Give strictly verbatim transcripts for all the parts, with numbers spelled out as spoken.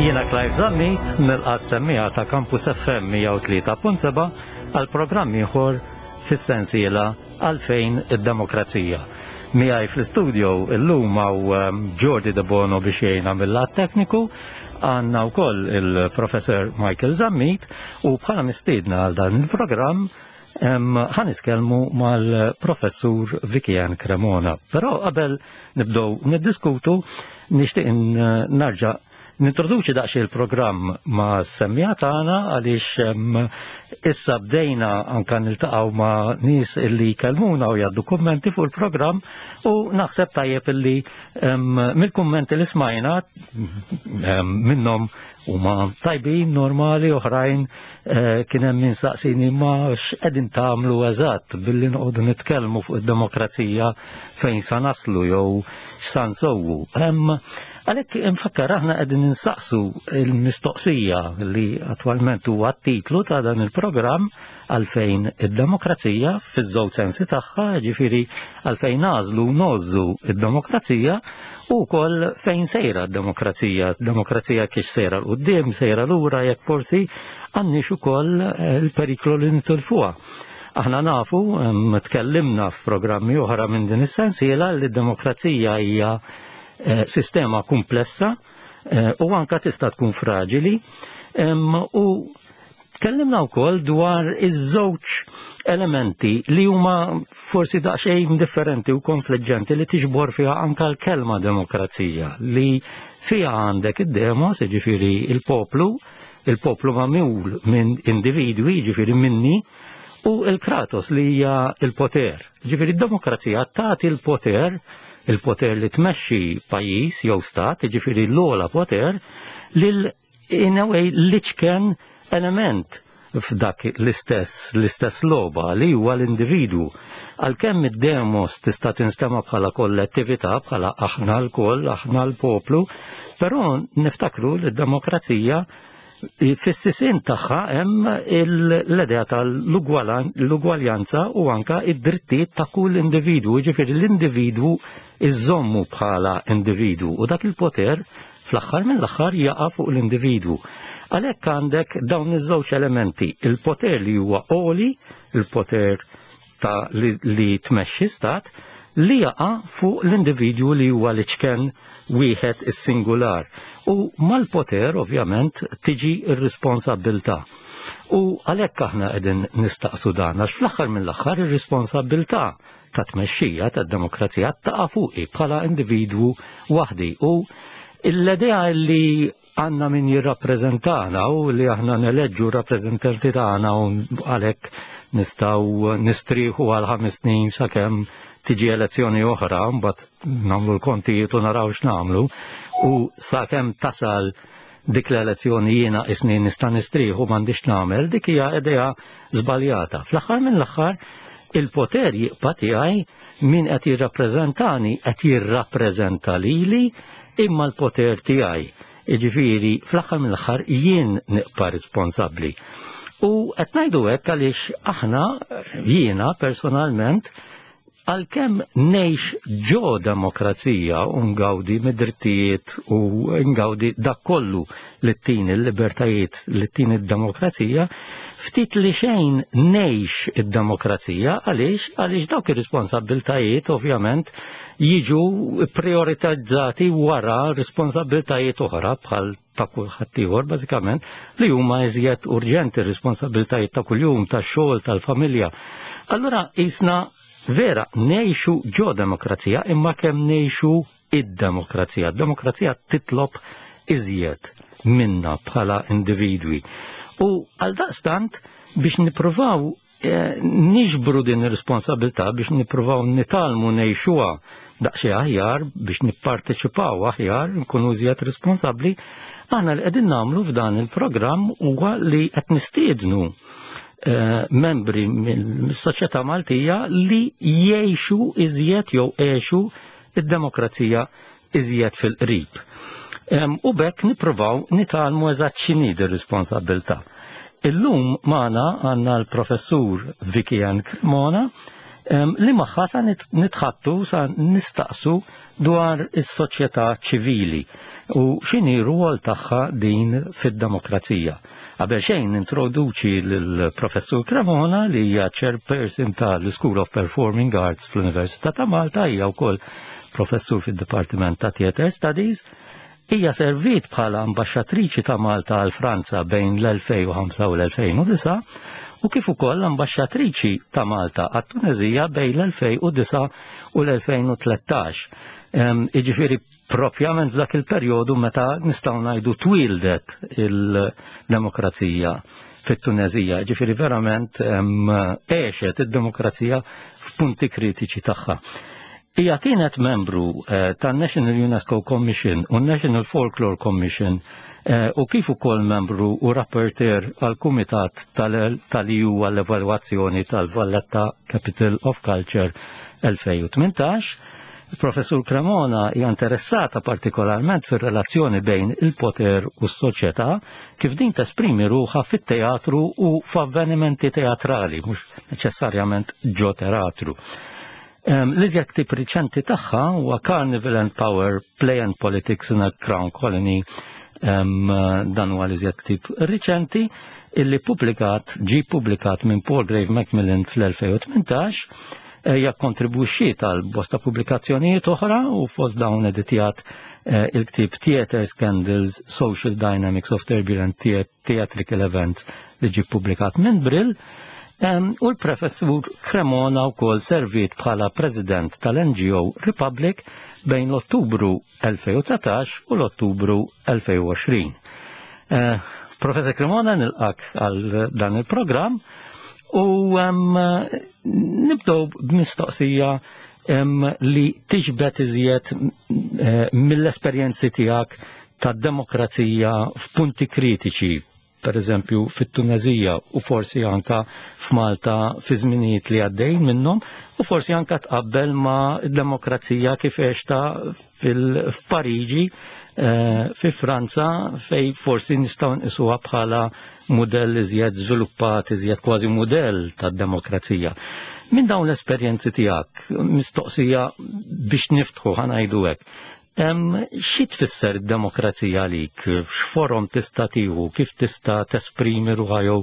Jiena Clive Zammit nilqa' s-semmiegħa ta' Campus F M mija u tlieta punt sebgħa għal programm ieħor fis-sensiela "Għalfejn id-Demokrazija". Miegħi fl-istudio illum hawn um, Jordi De Bono biex jgħinna mill-lat tekniku, għandna wkoll il-Professor Michael Zammit u bħala mistiedna għal dan il-programm ħa nitkellmu mal-Professur Vicky-Ann Cremona. Però qabel nibdow niddiskutu, nixtieq narġa' nintroduċi daqsxejn il-programm mas-semmiegħa tagħna, għaliex issa bdejna anka niltaqgħu ma' nies illi jkellmuna u jgħaddu kummenti fuq il-programm, u naħseb tajjeb illi mill-kummenti li smajna, minnhom huma tajbin, normali, oħrajn eh, kien hemm min saqsini ma x'qegħdin tagħmlu eżatt billi noqogħdu nitkellmu fuq id-demokrazija, fejn sa naslu jew x'sa nsewwu. Għalhekk infakkar, aħna qegħdin insaqsu il-mistoqsija li attwalment huwa t-titlu ta' dan il-programm, "Għalfejn id-demokrazija", fiż-żewġ sensi tagħha, ġifieri għalfejn nagħżlu ngħożżu id-demokrazija u wkoll fejn sejra d-demokrazija, demokrazija kif sejra 'l quddiem, sejra lura, jekk forsi għandniex ukoll il-periklu li nitilfuha. Aħna nafu, tkellimna f'programmi oħra minn din is-sensiela, li d-demokrazija hija Eh, sistema komplessa eh, u anka tista' tkun fraġili, u tkellimna wkoll dwar iż-żewġ elementi li huma forsi daqsxejn differenti u konfliġġenti li tiġbor fiha anka l-kelma demokrazija, li fiha għandek id-demos, ġifieri il-poplu, il-poplu magħmul minn individwi, ġifieri minni, u il-kratos li hija il-poter. Ġifieri d-demokrazija tagħti il-poter, il-poter li tmexxi pajjiż jew stat, ġifieri l-ogħla poter, lil in a way l-iċken element f'dak l-istess l-istess logħba, li huwa l-individwu. Għalkemm id-demos tista' tinstema' bħala kollettività, bħala aħna lkoll, aħna l-poplu, però niftakru li d-demokrazija fis-sisin tagħha hemm l-idea tal-ugwaljanza u anka id-drittijiet ta' kull individwu, ġifieri l-individwu iżommu bħala individwu u dak il-poter fl-aħħar mill-aħħar jaqa' fuq l-individwu. Għalhekk għandek dawn iż-żewġ elementi, il-poter li huwa għoli, il-poter ta' li, li tmexxi stat, li jaqa' fuq l-individwu li huwa l-iċken wieħed, is-singular. U mal-poter ovvjament tiġi r-responsabilità. U għalhekk aħna qegħdin nistaqsu dan, għax fl-aħħar mill-aħħar ir-responsabilità ta' tmexxija tad-demokrazija taqa' fuqi bħala individwu waħdi. U l-idea li għandna min jirrappreżentana u li aħna neleġġu rappreżentanti tagħna u għalhekk nistgħu nistrieħu għal ħames snin sakemm tiġi elezzjoni oħra, mbagħad nagħmlu l-kontijiet u naraw x'nagħmlu, u sakemm tasal dik l-elezzjoni jiena isni nista' nistrieħu, m'għandix nagħmel, dik hija idea żbaljata. Fl-aħħar mill-aħħar il-poter jibqa' tiegħi, min qed jirrappreżentani qed jirrappreżenta lili, imma l-poter tiegħi. Jiġifieri fl-aħħar mill-aħħar jien nibqa' responsabbli. U qed ngħidu hekk għaliex aħna, jiena personalment, għalkemm ngħix ġo demokrazija u ngawdi mid-drittijiet u ngawdi dak kollu li ttini l-libertajiet li ttini d-demokrazija, ftit li xejn ngħix id-demokrazija. Għaliex? Għaliex dawk ir-responsabbiltajiet ovvjament jiġu prioritizzati wara responsabbiltajiet oħra bħal ta' kulħadd ieħor bażikament, li huma iżjed urġenti, responsabbiltajiet ta' kuljum, tax-xogħol, tal-familja. Allura jisna vera ngħixu ġo demokrazija, imma kemm ngħixu id-demokrazija? Demokrazija titlob iżjed minna bħala individwi. U għal daqstant biex nippruvaw eh, niġbru din ir-responsabilità, biex nippruvaw nitgħallmu ngħixuha daqsxejn aħjar, biex nipparteċipaw aħjar, nkunu iżjed responsabbli, aħna li qegħdin nagħmlu f'dan il-programm huwa li qed nistiednu eh, membri mill-soċjetà Maltija li jgħixu iżjed jew għexu id-demokrazija iżjed fil-qrib. U b'hekk nippruvaw nitgħallmu eżatt x'inhi ir-responsabilità. Illum magħna għandna l-Professur Vicky-Ann Cremona, li magħha sa nitħaddtu, sa nistaqsu dwar is-soċjetà ċivili u x'inhi r-rwol tagħha din fid-demokrazija. Qabel xejn introduċi lill-Professur Cremona, li hija chairperson tal-School of Performing Arts fl-Università ta' Malta, hija wkoll professur fid-Dipartiment ta' Theatre Studies. Hija servit bħala ambaxxatriċi ta' Malta għal Franza bejn l-elfejn u ħamsa u l-elfejn u disgħa u kif ukoll ambaxxatriċi ta' Malta għat-Tunezija bejn l-elfejn u disgħa u l-elfejn u tlettax. Iġifieri propjament f'dak il-perjodu meta nistgħu ngħidu twildet il-demokrazija fit-Tunezija, ġifieri verament għexet id-demokrazija f'punti kritiċi tagħha. Hija kienet membru eh, tan-National UNESCO Commission u National Folklore Commission eh, u kif ukoll membru u rapporteur għal Kumitat tal-E U għall-evalwazzjoni tal-Valletta Capital of Culture elfejn u tmintax. Il-Professur Cremona hija interessata partikolarment fir-relazzjoni bejn il-poter u s-soċjetà kif din tesprimi ruħha fit-teatru u f'avvenimenti teatrali, mhux neċessarjament ġo teatru. L-iżjed ktieb riċenti tagħha huwa Carnival and Power: Play and Politics in a Crown Colony. Dan huwa l-iżjed ktieb riċenti illi publikat, ġi publikat minn Palgrave Macmillan fl-elfejn u tmintax. Hija kontribwixxiet għal bosta pubblikazzjonijiet oħra u fost dawn editjat eh, il-ktieb Theatre Scandals: Social Dynamics of Turbulent Theatrical Events li ġi publikat minn Brill. U l-Professur Cremona wkoll servit bħala president tal-N G O Republic bejn l-Ottubru elfejn u dsatax u l-Ottubru elfejn u għoxrin. Eh, Professor Cremona, nilqgħek għal dan il-programm u nibdew b'mistoqsija li tiġbed iżjed eh, mill-esperjenzi tiegħek tad-demokrazija f'punti kritiċi, per eżempju fit-Tunezija u forsi anka f'Malta fi żminijiet li għaddejn minnhom u forsi anka tqabbel ma' demokrazija kif għexta f'Pariġi eh, fi Franza, fej forsi nistgħu nqisuha bħala mudell iżjed żviluppat, iżjed kważi mudell tad-demokrazija. Minn dawn l-esperjenzi tiegħek, mistoqsija biex niftħu, ħa ngħidu hekk. Xi tfisser id-demokrazija għalik? X'forom tista' tieħu? Kif tista' tesprimi ruħha jew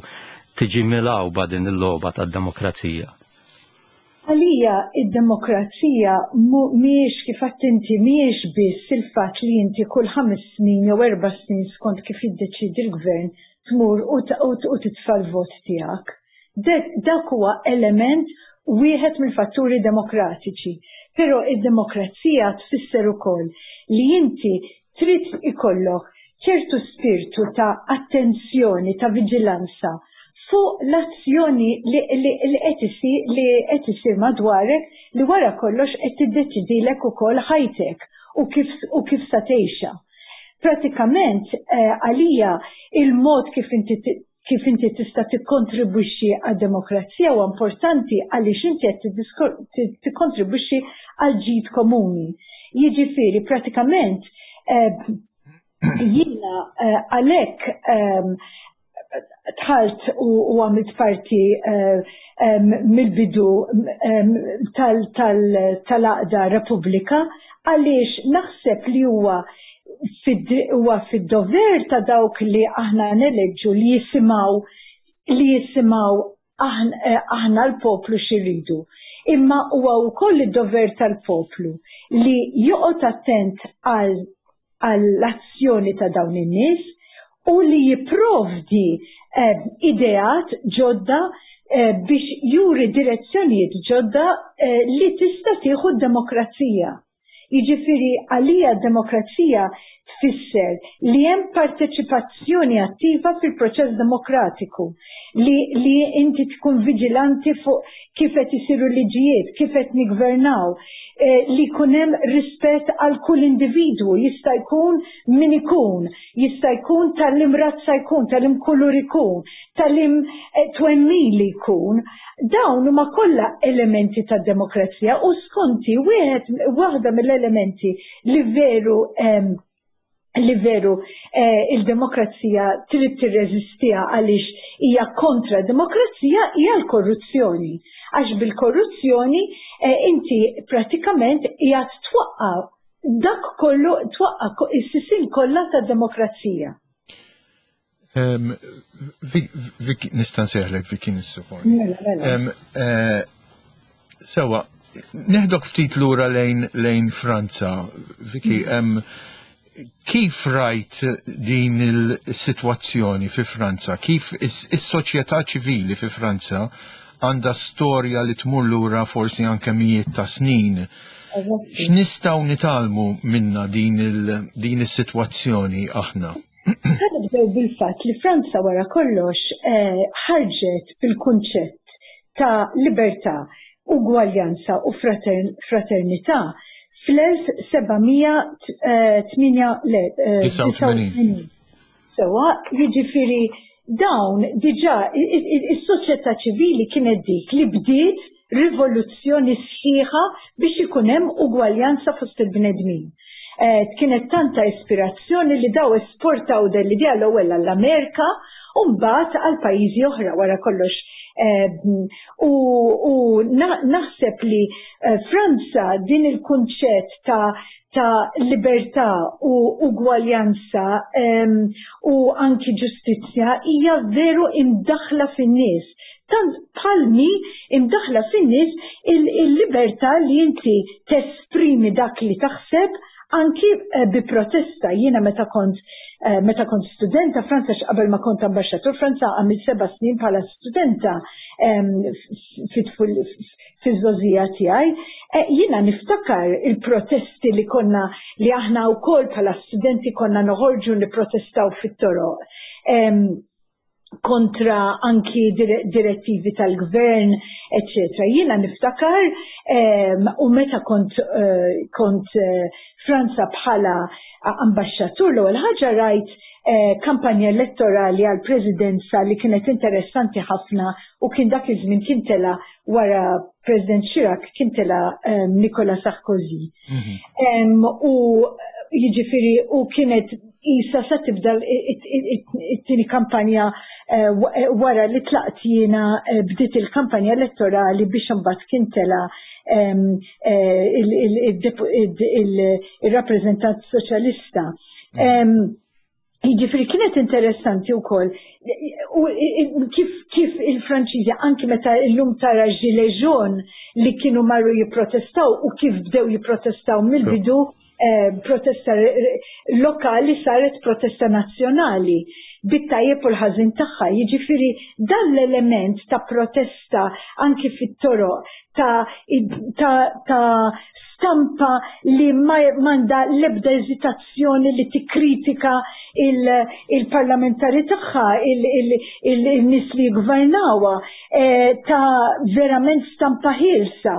tiġi milgħuba din il-logħba tad-demokrazija? Għalija id-demokrazija mhijiex, kif inti, mhijiex biss il-fatt li inti kull ħames snin jew erba' snin, skont kif jiddeċidi l-gvern, tmur u titfa' l-vot tiegħek. Dak huwa element wieħed mill-fatturi demokratiċi. Però id-demokrazija tfisser ukoll li inti trid ikollok ċertu spiritu ta' attenzjoni, ta' viġilanza fuq l-azzjoni li qed isir li qed isir madwarek, li wara kollox qed tiddeċidilek ukoll ħajtek u kif u kif sa tgħixha. Pratikament eh, għalija il-mod kif inti kif inti tista' tikkontribwixxi għad-demokrazija huwa importanti għaliex inti qed tikkontribwixxi għal ġid komuni. Jiġifieri pratikament eh, jiena eh, għalhekk ehm, dħalt u għamilt parti eh, mill-bidu tal-għaqda Repubblika għaliex naħseb li huwa huwa fid-dover ta' dawk li aħna neleġġu li jisimgħu li jisimgħu eh, aħna l-poplu x'irridu. Imma huwa wkoll id-dover tal-poplu li joqgħod attent għall-azzjoni ta' dawn in-nies u li jipprovdi eh, ideat ġodda eh, biex juri direzzjonijiet ġodda eh, li tista' tieħu d-demokrazija. Jiġifieri għalija demokrazija tfisser li hemm parteċipazzjoni attiva fil-proċess demokratiku, li, li inti tkun viġilanti fuq kif qed isiru liġijiet, kif qed nigvernaw, eh, li jkun hemm rispett għal kull individwu, jista' jkun min ikun, jista' jkun ta' liema razza jkun, ta' liema kulur ikun, ta' liema eh, twemmin li jkun. Dawn huma kollha elementi tad demokrazija u skonti wieħed waħda mill-elementi li veru Li veru eh, il-demokrazija trid tirreżistiha għaliex hija kontra demokrazija hija l-korruzzjoni. Għax bil-korruzzjoni eh, inti pratikament hija twaqqa dak kollu, twaqqa is-sisin kollha tad-demokrazija. Viki, nista' nsejħlek Viki nissuponi? Mela, mela. Eh, sewa, neħdok ftit lura lejn lejn Franza. Viki, mm. kif rajt din il-sitwazzjoni fi Franza? Kif is-soċjetà ċivili fi Franza għandha storja li tmur lura forsi anke mijiet ta' snin? X'nistgħu nitgħallmu minna din is-sitwazzjoni aħna? Ħa nibdew bil-fatt li Franza wara kollox eh, ħarġet bil-kunċett ta' libertà, ugwaljanza u fraternità fl-elf seba' mija tmienja, le, disgħa u tmenin. Sewa, jiġifieri dawn diġà is-soċjetà ċivili kienet dik li bdiet rivoluzzjoni sħiħa biex ikun hemm ugwaljanza fost il-bnedmin. Eh, kienet tanta ispirazzjoni li daw esportaw dell-idea l-ewwel għall-Amerika u mbagħad għal pajjiżi oħra wara kollox. Eh, u, u naħseb li eh, Franza din il-kunċett ta' ta' libertà u ugwaljanza um, u anki ġustizzja hija veru imdaħla fin-nies. Tant palmi imdaħla fin-nies il-libertà li inti tesprimi dak li taħseb anki eh, bi protesta. Jiena meta kont eh, meta kont studenta Franza, qabel ma kont ambaxxatur Franza għamilt seba' snin bħala studenta fiż-żgħożija tiegħi. Eh, jiena niftakar il-protesti li konna li aħna wkoll bħala studenti konna noħorġu nipprotestaw fit-toroq kontra anki direttivi tal-gvern, eccetera. Jiena niftakar um, u meta kont, uh, kont uh, Franza bħala ambaxxatur, l-ewwel ħaġa rajt uh, kampanja elettorali għal presidenza li kienet interessanti ħafna u kien dak iż-żmien kien tela wara President Chirac, kien tela um, Nicolas Sarkozy. Mm -hmm. um, u jiġifieri u kienet isa sa tibda it-tieni kampanja eh, eh, wara li tlaqt jiena, eh, bdiet il-kampanja elettorali biex imbagħad kien tela il-rappreżentant soċjalista. Mm. Jiġifieri kienet interessanti wkoll kif kif il-Franċiżi, anki meta llum tara gilets jaunes li kienu marru jipprotestaw u kif bdew jipprotestaw mill-bidu, Eh, protesta lokali saret protesta nazzjonali bit-tajjeb u l-ħażin tagħha. Jiġifieri dan l-element ta' protesta anki fit-toroq ta', ta, ta stampa li m'għandha l-ebda eżitazzjoni li tikkritika il-parlamentari tagħha, il-nies li jgvernawha, eh, ta' verament stampa ħielsa.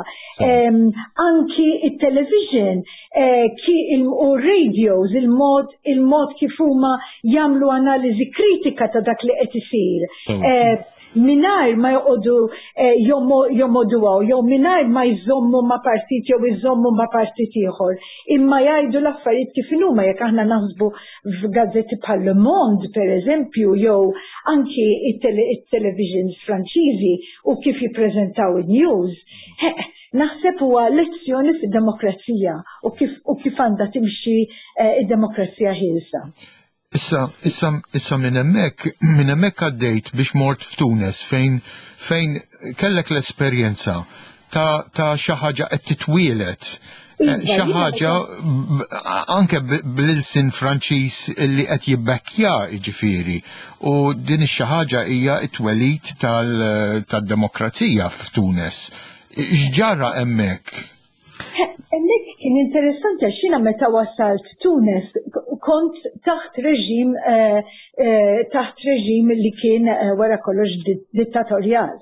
Anki it-television eh, u radios, il-mod il-mod kif huma jagħmlu analiżi kritika ta' dak li qed isir. Eh, mingħajr ma joqogħdu eh, jomogħduha jew mingħajr ma jżommu ma' partit jew iżommu ma' partit ieħor. Imma jgħidu l-affarijiet kif huma. Jekk aħna naħsbu f'gazzetti bħal Le Monde, per eżempju, jew anki it-televisions Franċiżi u kif jippreżentaw in-news, naħseb huwa lezzjoni fid-demokrazija u kif u kif għandha timxi eh, id-demokrazija ħielsa. Issa, issa, issa minn hemmhekk, minn hemmhekk għaddejt biex mort f'Tunes fejn fejn kellek l-esperjenza ta' ta' xi ħaġa qed titwielet. Eh, Iva, xi ħaġa anke bl-ilsin Franċiż li qed jibbekkja, jiġifieri. U din ix-xi ħaġa hija t-twelid tad-demokrazija f'Tunes. X'ġara hemmhekk? Hemmhekk kien interessanti għax jiena meta wasalt Tunes kont taħt reġim eh, eh, taħt reġim li kien eh, wara kollox dittatorjal.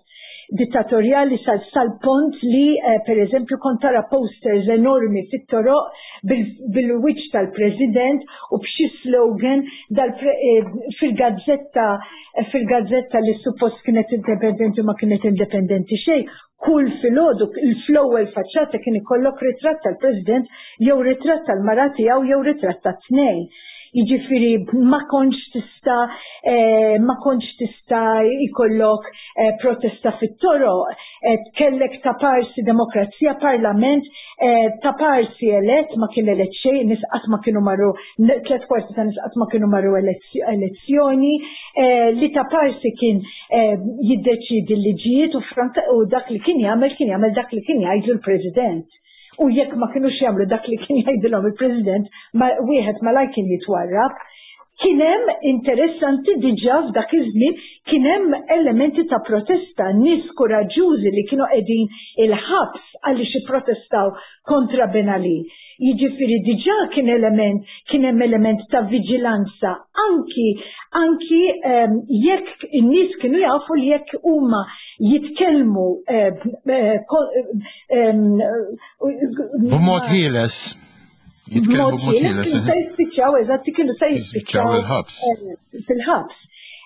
Dittatorjali sal sal-punt li, per eżempju, kont tara posters enormi fit-toroq bil-wiċċ tal-president u b'xi slogan fil-gazzetta fil-gazzetta li suppost kienet independenti, ma kienet independenti xejn. Kull filgħodu fl-ewwel faċċata kien ikollok ritratt tal-President jew ritratt tal-mara tiegħu jew ritratt tat-tnejn. Jiġifieri ma kontx tista' eh, ma kontx tista' jkollok eh, protesta fit-toroq, eh, kellek ta' parsi demokrazija, parlament ta' parsi elett, ma kien elett xejn, nies qatt ma kienu marru, tliet kwarti ta' nies qatt ma kienu marru elezzjoni, li ta' parsi kien jiddeċidi l-liġijiet u franka u dak li kien jagħmel kien jagħmel dak li kien jgħidlu l-President. U jekk ma kinux jagħmlu dak li kien jgħidilhom il-President, ma wieħed malaj kien jitwarrab. Kien hemm, interessanti, diġà f'dak iż-żmien kien hemm elementi ta' protesta, nies kuraġġużi li kienu qegħdin il-ħabs għaliex ipprotestaw kontra Ben Ali. Jiġifieri diġà kien element, kien hemm element ta' viġilanza anki anki um, jekk in-nies kienu jafu li jekk huma jitkellmu b'mod ħieles. B'mod ħieles kienu se jispiċċaw, eżatti, kienu se jispiċċaw fil-ħabs.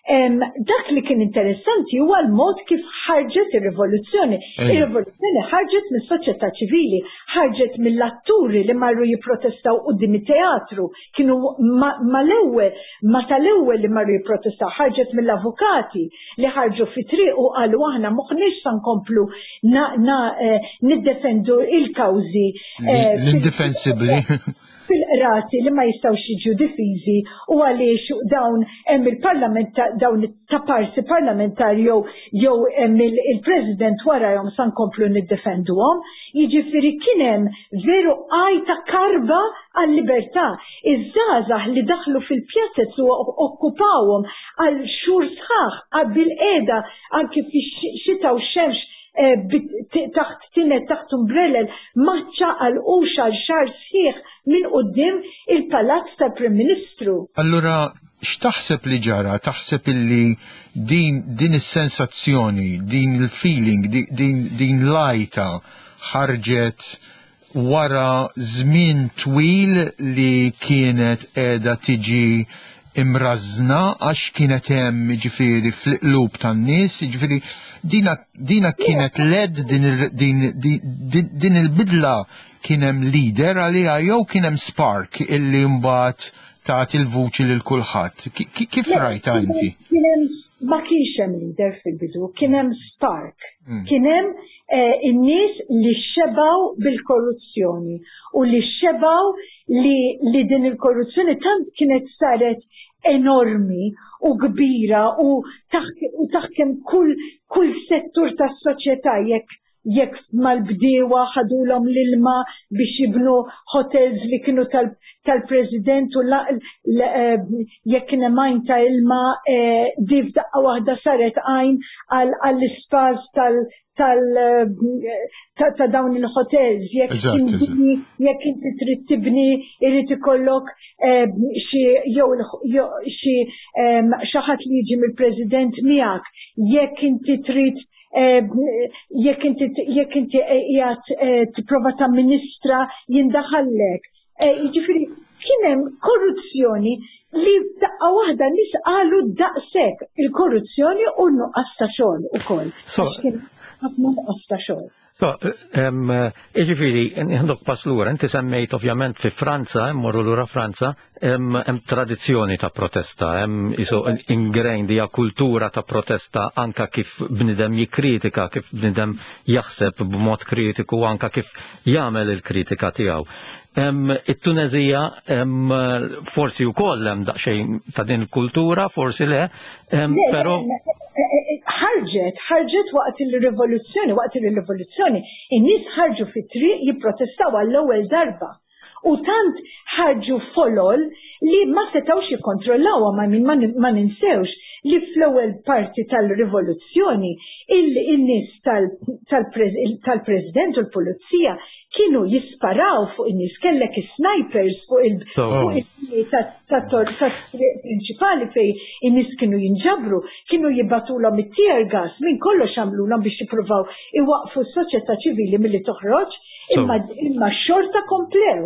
Dak li kien interessanti huwa l-mod kif ħarġet ir-rivoluzzjoni. Ir-rivoluzzjoni ħarġet mis-soċjetà ċivili, ħarġet mill-atturi li marru jipprotestaw quddiem it-teatru, kienu mal-ewwel, ma tal-ewwel li marru jipprotestaw, ħarġet mill-avukati li ħarġu fi triq u qalu aħna m'aħniex sa nkomplu niddefendu il-kawżi l-indefensibbli fil-qrati li ma jistgħux jiġu difiżi u għaliex dawn hemm il-parlament, dawn ta' parsi parlamentari jew jew hemm il-president warahom sa nkomplu niddefenduhom. Jiġifieri kien hemm veru għajta, karba għal-libertà. Iż-żgħażagħ li daħlu fil-pjazzez u okkupawhom għal xhur sħaħ bil-qiegħda anke fix-xita u xemx, eh, taħt tinet, taħt umbrellel, ma ċaqalqux għal xahar sħiħ minn quddiem il-palazz tal-Prim Ministru. Allura, x'taħseb li ġara? Taħseb illi din, din is-sensazzjoni, din il-feeling, din, din l-għajta ħarġet wara żmien twil li kienet qiegħda tiġi imrażna għax kienet hemm, ġifieri, fil-qlub tan-nies, ġifieri dina, dina kienet led din, din, din, din il-bidla, kien hemm leader għaliha jew kien hemm spark illi mbagħad tagħti il-vuċi lil kulħadd? Kif rajta inti? Kien hemm, ma kienx hemm leader fil-bidu, kien hemm spark. Hmm. Kien hemm eh, in-nies li xebaw bil-korruzzjoni u li xebaw li, li din il-korruzzjoni tant kienet saret enormi u kbira u taħkem kull, kull settur tas-soċjetà, jekk jekk mal-bdiewa ħadulhom l-ilma biex jibnu hotels li kienu tal-president u eh, jekk kien hemm għajn ta' ilma, eh, di f'daqqa waħda saret għajn għall-ispas tal tal ta' dawn il-hotels, jekk jekk inti trid tibni irid ikollok eh, xi jew xi xi ħadd li jiġi mill-president miegħek, jekk inti trid jekk inti jekk inti qiegħed eh, tipprova tamministra jindaħallek. Eh, jiġifieri kien hemm korruzzjoni li daqqa waħda nies qalu daqshekk, il-korruzzjoni u n-nuqqas ta' xogħol ukoll. Għax kien ħafna nuqqas ta' xogħol. So, jiġifieri, nieħdok pass lura, inti semmejt ovvjament fi Franza, mmorru lura Franza, hemm tradizzjoni ta' protesta, hemm isu ingrained hija kultura ta' protesta, anka kif bnidem jikkritika, kif bnidem jaħseb b'mod kritiku, anka kif jagħmel il-kritika tiegħu. It-Tunezija forsi wkoll hemm daqsxejn ta' din il-kultura, forsi le, però ħarġet, ħarġet waqt il-rivoluzzjoni, waqt il-rivoluzzjoni, in-nies ħarġu fit-triq jipprotestaw għall-ewwel darba. U tant ħarġu folol li ma setawx jikkontrollawha. Ma min ma ninsewx li fl-ewwel parti tal-rivoluzzjoni il-nies tal-president u l-pulizija kienu jisparaw fuq in-nies, kellek snipers fuq il tat-triq prinċipali fej in-nies kienu jinġabru, kienu jibagħtulhom it-tear gas, minn kollox għamlulhom biex jippruvaw iwaqfu s-soċjetà ċivili milli toħroġ, imma imma xorta komplew.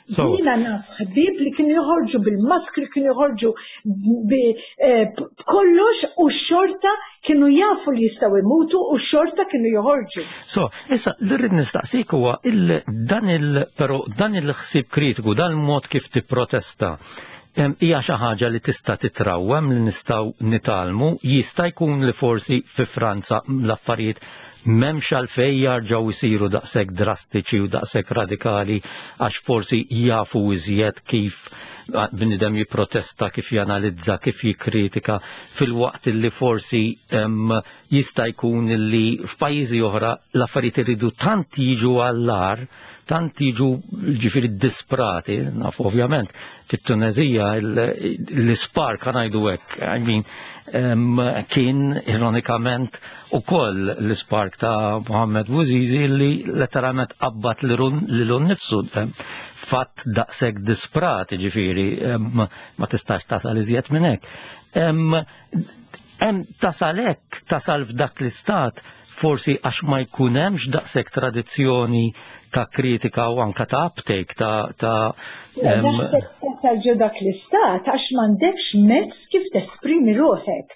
Jiena naf ħbieb li kienu joħorġu bil-maskri, kienu joħorġu eh, b'kollox u xorta kienu jafu li jistgħu imutu u xorta kienu joħorġu. So, issa li rrid nistaqsik huwa dan il però dan il-ħsieb kritiku, dan il-mod kif tipprotesta, hija xi ħaġa li tista' titrawwem, li nistgħu nitgħallmu? Jista' jkun li forsi fi Franza l-affarijiet m'hemmx għalfejn jarġgħu jsiru daqshekk drastiċi u daqshekk radikali, għax forsi jafu iżjed kif bniedem jipprotesta, kif janalizza, kif jikkritika, filwaqt li forsi jista' jkun li f'pajjiżi oħra l-affarijiet iridu tant jiġu għall-agħar, tant jiġu ġifieri disprati? Naf ovvjament fit-Tunezija l-spark, ngħidu hekk, I mean, kien ironikament ukoll l-spark ta' Mohammed Bouazizi li letteralment qabbat lilu nnifsu, fatt daqshekk disprat, ġifieri ma tistax tasal iżjed minn hekk. Hemm tasal hekk, tasal f'dak l-istat forsi għax ma jkun hemmx daqshekk tradizzjoni ta' kritika u anka ta' uptake ta' ta' Naħseb tasal ġo dak l-istat għax m'għandekx mezz kif tesprimi ruħek.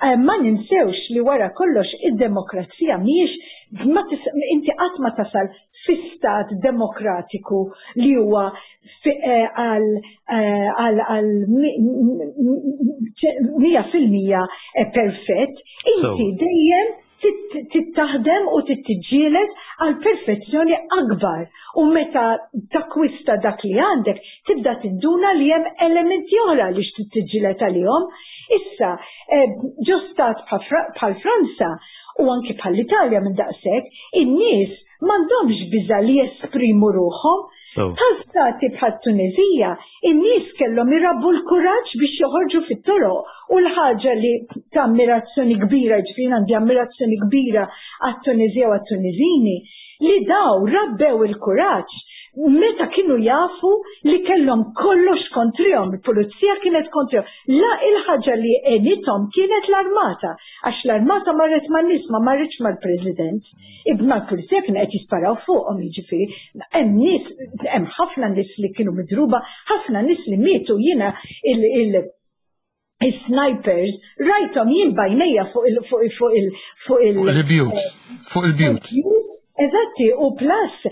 Eh, ma ninsewx li wara kollox id-demokrazija mhijiex, inti qatt ma tasal fi stat demokratiku li huwa eh, għal eh, għal mija fil-mija perfett, inti dejjem tittaħdem u tittiġġieled għal perfezzjoni akbar. U meta takwista dak li għandek, tibda tinduna li hemm elementi oħra li x'tittiġġieled għalihom. Issa, eh, ġo stat bħal Franza u anki bħal Italja minn daqshekk, in-nies m'għandhomx biża' li jesprimu ruħhom. Bħal stati bħal Tunezija, in-nies kellhom irabbu l-kuraġġ biex joħorġu fit-toroq u l-ħaġa li ta' ammirazzjoni kbira, ġifieri għandi ammirazzjoni kbira għat-Tunezija u għat-Tunezini, li daw rabbew il-kuraġġ meta kienu jafu li kellhom kollox kontrihom, il-pulizija kienet kontrihom. La il-ħaġa li għenithom kienet l-armata, għax l-armata marret man-nies, ma marritx mal-president. Imma l-pulizija kien qed jisparaw fuqhom, jiġifieri hemm nies, hemm ħafna nies li kienu midruba, ħafna nies li mietu. Jiena il- il snipers rajthom jien b'għajnejja fuq il fuq il fuq il fuq il il-bjut, fuq il-bjut. Eżatti, u plus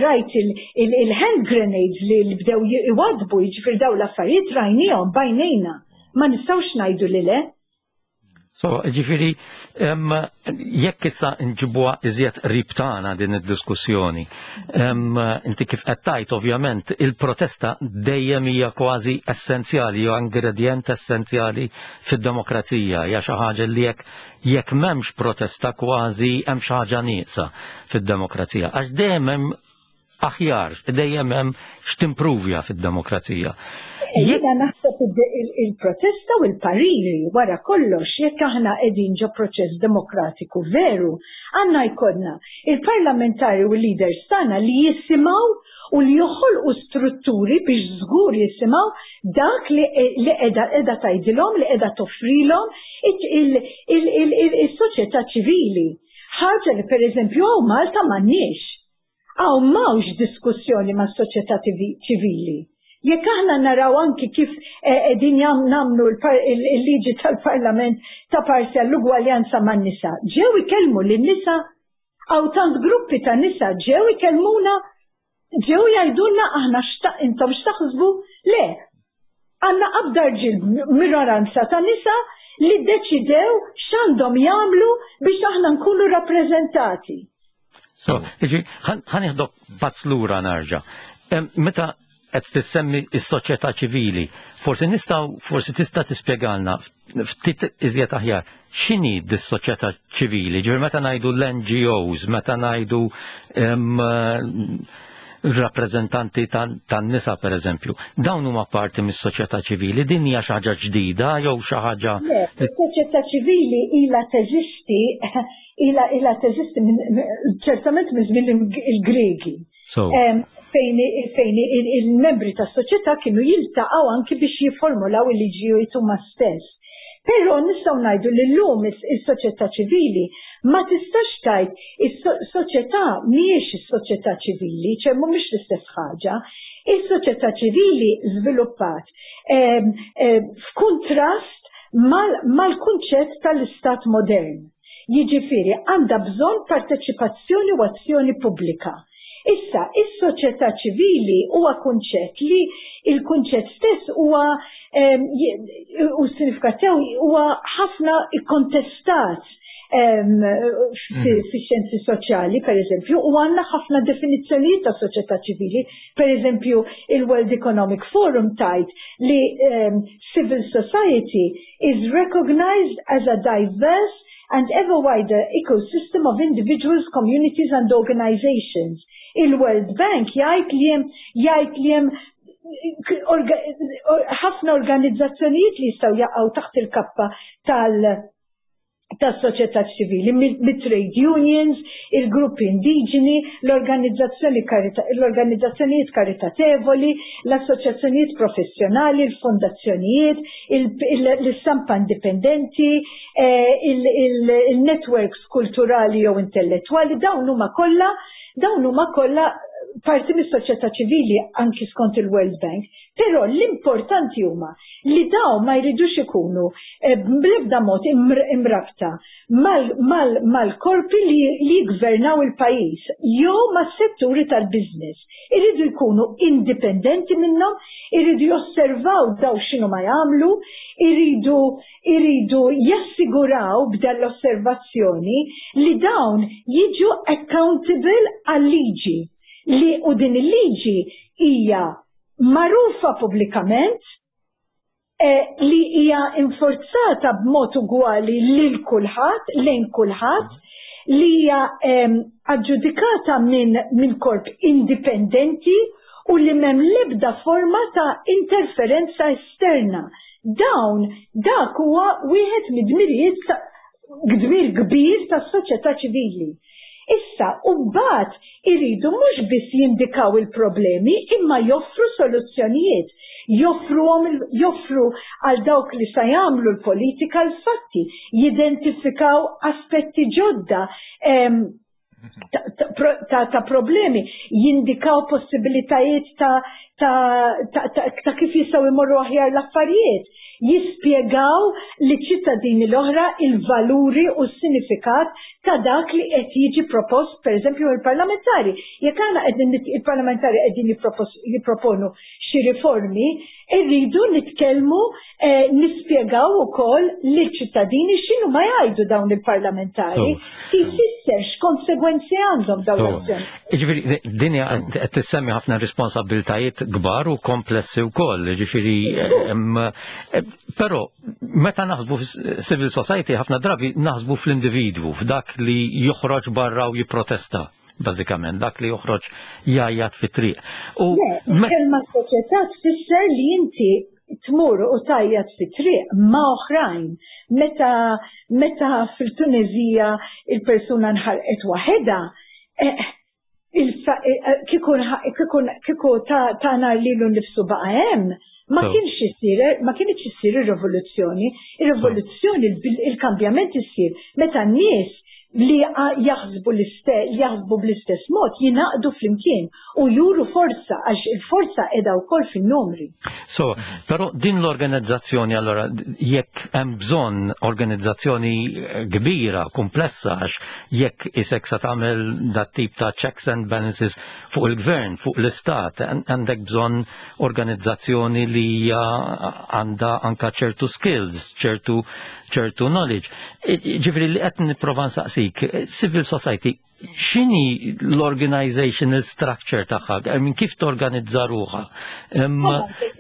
rajt il-hand grenades li bdew iwadbu, jiġifieri daw l-affarijiet rajnihom b'għajnejna. Ma nistgħux ngħidu li le. So, ġifieri, jekk issa nġibuha iżjed qrib tagħna din id-diskussjoni, inti kif qed tgħid, ovvjament il-protesta dejjem hija kważi essenzjali, jew ingredient essenzjali fid-demokrazija, hija xi ħaġa li jekk jekk m'hemmx protesta kważi hemm xi ħaġa nieqsa fid-demokrazija. Għax dejjem hemm aħjar, dejjem hemm x'timpruvja fid-demokrazija. Jiena naħseb il-protesta u l-pariri. Wara kollox, jekk aħna qegħdin ġo proċess demokratiku veru, għandna jkollna il-parlamentari u l-leaders tagħna li jisimgħu u li joħolqu strutturi biex żgur jisimgħu dak li qiegħda qiegħda tgħidilhom, li qiegħda toffrilhom is-soċjetà ċivili. Ħaġa li pereżempju hawn Malta m'għandniex. Hawn m'hawnx diskussjoni mas-soċjetà ċivili. Jekk aħna naraw anki kif qegħdin nagħmlu il-liġi tal-Parlament ta' parsi għall-ugwaljanza man-nisa, ġew ikellmu lin-nisa? Hawn tant gruppi ta' nisa, ġew ikellmuna, ġew jgħidulna aħna intom x'taħsbu? Le, għandna qabda rġiel, minoranza ta' nisa li deċidew x'għandhom jagħmlu biex aħna nkunu rappreżentati. So, ħa nieħdok pass lura nerġa'. Meta qed tissemmi s-soċjetà ċivili, forsi nistgħu forsi tista' tispjegalna ftit iżjed aħjar x'inhi dis-soċjetà ċivili, ġifieri meta ngħidu l-N G Os, meta ngħidu rappreżentanti tan-nisa per eżempju, dawn huma parti mis-soċjetà ċivili? Din hija xi ħaġa ġdida jew xi ħaġa? Le, is-soċjetà ċivili ilha teżisti, ilha ilha teżisti ċertament minn żmien il-Gregi. Fejn fejn il-membri tas-soċjetà kienu jiltaqgħu anki biex jifformulaw il-liġijiet huma stess. Però nistgħu ngħidu li llum is-soċjetà ċivili ma tistax tgħid, is-soċjetà mhijiex is-soċjetà ċivili, ċe mhumiex l-istess ħaġa. Is-soċjetà ċivili żviluppat f'kuntrast mal-kunċett tal-istat modern. Jiġifieri għandha bżonn parteċipazzjoni u azzjoni pubblika. Issa, is-soċjetà ċivili huwa kunċett li il-kunċett stess huwa u s-sinifikat tiegħu huwa ħafna ikkontestat fix-xjenzi soċjali, per eżempju, u għandna ħafna definizzjonijiet ta' soċjetà ċivili. Per eżempju, il-World Economic Forum tgħid li civil society is recognized as a diverse and ever wider ecosystem of individuals, communities and organizations. Il-World Bank jgħid li hemm jgħid li hemm ħafna organizzazzjonijiet li jistgħu jaqgħu taħt il-kappa tal- tas-soċjetà ċivili, mit-trade unions, il-gruppi indiġeni, l-organizzazzjoni l-organizzazzjonijiet karitatevoli, l-assoċjazzjonijiet professjonali, il-fondazzjonijiet, l-istampa indipendenti, eh, il-networks kulturali jew intellettwali, dawn huma kollha dawn huma kollha parti mis-soċjetà ċivili anki skont il-World Bank. Però l-importanti huma li dawn ma jridux ikunu eh, bl-ebda mod imrabta mal-korpi li jgvernaw il-pajjiż jew mas-setturi tal-business. Iridu jkunu indipendenti minnhom, iridu josservaw daw x'inhu ma jagħmlu, iridu iridu jassiguraw b'dan l-osservazzjoni li dawn jiġu accountable għal-liġi, li u din il-liġi hija magħrufa pubblikament, eh, li hija inforzata b'mod ugwali lil kulħadd, lejn kulħadd, li hija aġġudikata minn min korp indipendenti u li m'hemm l-ebda forma ta' interferenza esterna. Dawn dak huwa wieħed mid-dmirijiet, dmir kbir tas-soċjetà ċivili. Issa, u mbagħad iridu mhux biss jindikaw il-problemi, imma joffru soluzzjonijiet, joffru, joffru għal dawk li sa jagħmlu l-politika l-fatti, jidentifikaw aspetti ġodda ta', ta, problemi, jindikaw possibilitajiet ta', ta, ta, ta, ta kif jistgħu jmorru aħjar l-affarijiet, jispjegaw li ċittadini l-oħra il-valuri u s-sinifikat ta' dak li qed jiġi propost, per eżempju, il-parlamentari. Jekk għandna qegħdin il-parlamentari qegħdin jipproponu xi riformi, irridu nitkellmu, eh, nispjegaw ukoll lill-ċittadini x'inhu ma jgħidu dawn il-parlamentari, jfisser x'konsegwenzi għandhom dawn l-azzjoni. Ġifieri, dinja qed tissemmi ħafna responsabiltajiet kbar u komplessi wkoll, ġifieri, però meta naħsbu civil society, ħafna drabi naħsbu fl-individwu, f'dak li joħroġ barra u jipprotesta bażikament, dak li joħroġ jgħajjat fit-triq. U kelma soċjetà tfisser li inti tmur u tgħajjat fi triq ma' oħrajn. Meta, meta fil-Tunezija il-persuna nħarqet waħedha, eh, kieku ta' nar lilu nnifsu baqa' hemm, ma kienx isir, ma kienx issir ir-rivoluzzjoni. Ir-rivoluzzjoni, il-kambjament issir meta n-nies li jaħsbu jaħsbu bl-istess mod jingħaqdu flimkien u juru forza, għax il-forza qiegħda wkoll fin-numri. So, però din l-organizzazzjoni allora, jekk hemm bżonn organizzazzjoni kbira, komplessa, għax jekk isek sa tagħmel dat tip ta' checks and balances fuq il-gvern, fuq l-istat, għandek bżonn organizzazzjoni li hija għandha anka ċertu skills, ċertu ċertu knowledge. Ġifieri li qed nipprova nsaqsik, civil society, x'inhi l-organizational structure tagħha, minn kif torganizza ruħha?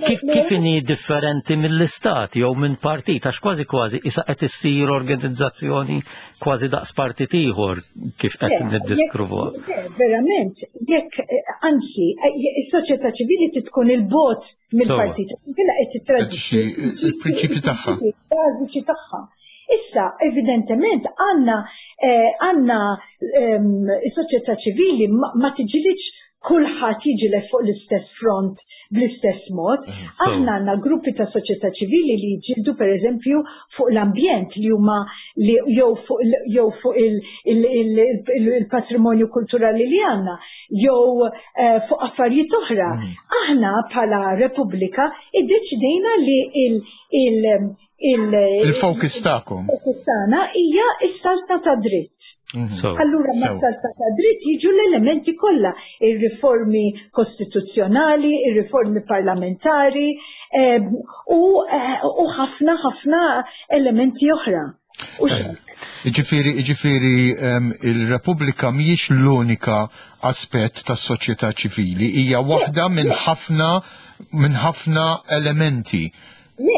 Kif kif inhi differenti mill-istat jew minn partit, għax kważi kważi issa qed issir organizzazzjoni kważi daqs partit ieħor kif qed niddiskrivuha. Verament, jekk, anzi, is-soċjetà ċivili tkun il-bogħod mill-partit, killa qed tittradixxi il-prinċipji tagħha. Bażiċi tagħha. Issa, evidentement, għandna għandna is-soċjetà ċivili ma tiġilitx kulħadd jiġieled fuq l-istess front bl-istess mod. Aħna għandna gruppi ta' soċjetà ċivili li jiġġieldu pereżempju fuq l-ambjent li huma li jew fuq jew fuq il-patrimonju kulturali li għandna, jew fuq affarijiet oħra. Aħna bħala Repubblika iddeċidejna li il- il-focus tagħkom. Il-focus tagħna hija s-saltna ta' dritt. Allura ma' saltna ta' dritt jiġu l-elementi kollha, ir-riformi kostituzzjonali, ir-riformi parlamentari u ħafna ħafna elementi oħra. U xek. Ġifieri, ġifieri il-Repubblika mhijiex l-unika aspett tas-soċjetà ċivili, hija waħda minn ħafna minn ħafna elementi. Le,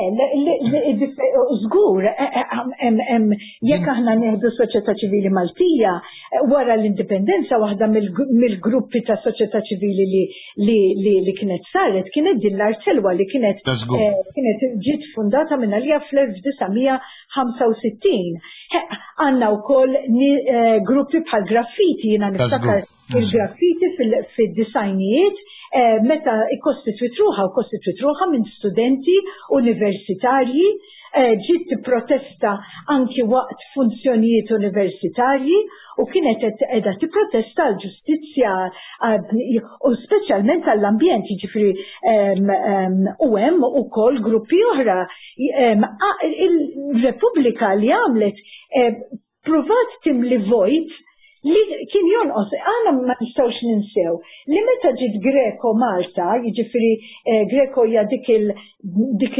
żgur, jekk aħna nieħdu s-soċjetà ċivili Maltija, wara l-indipendenza waħda mill-gruppi ta' soċjetà ċivili li kienet saret, kienet din l-Art Ħelwa li kienet kienet ġiet fundata minn għalija fl-elf disa' mija ħamsa u sittin. Għandna wkoll gruppi bħal graffiti, jiena niftakar il-graffiti fil-disajnijiet meta ikkostitwit ruħha u kostitwit ruħha minn studenti universitarji, ġiet tipprotesta anki waqt funzjonijiet universitarji u kienet qiegħda tipprotesta għal ġustizzja u speċjalment għall-ambjent, jiġifieri u hemm ukoll gruppi oħra. Il-Repubblika li għamlet pruvat timli vojt li kien jonqos. Aħna ma nistgħux ninsew li meta ġiet Greco Malta, jiġifieri Greco hija dik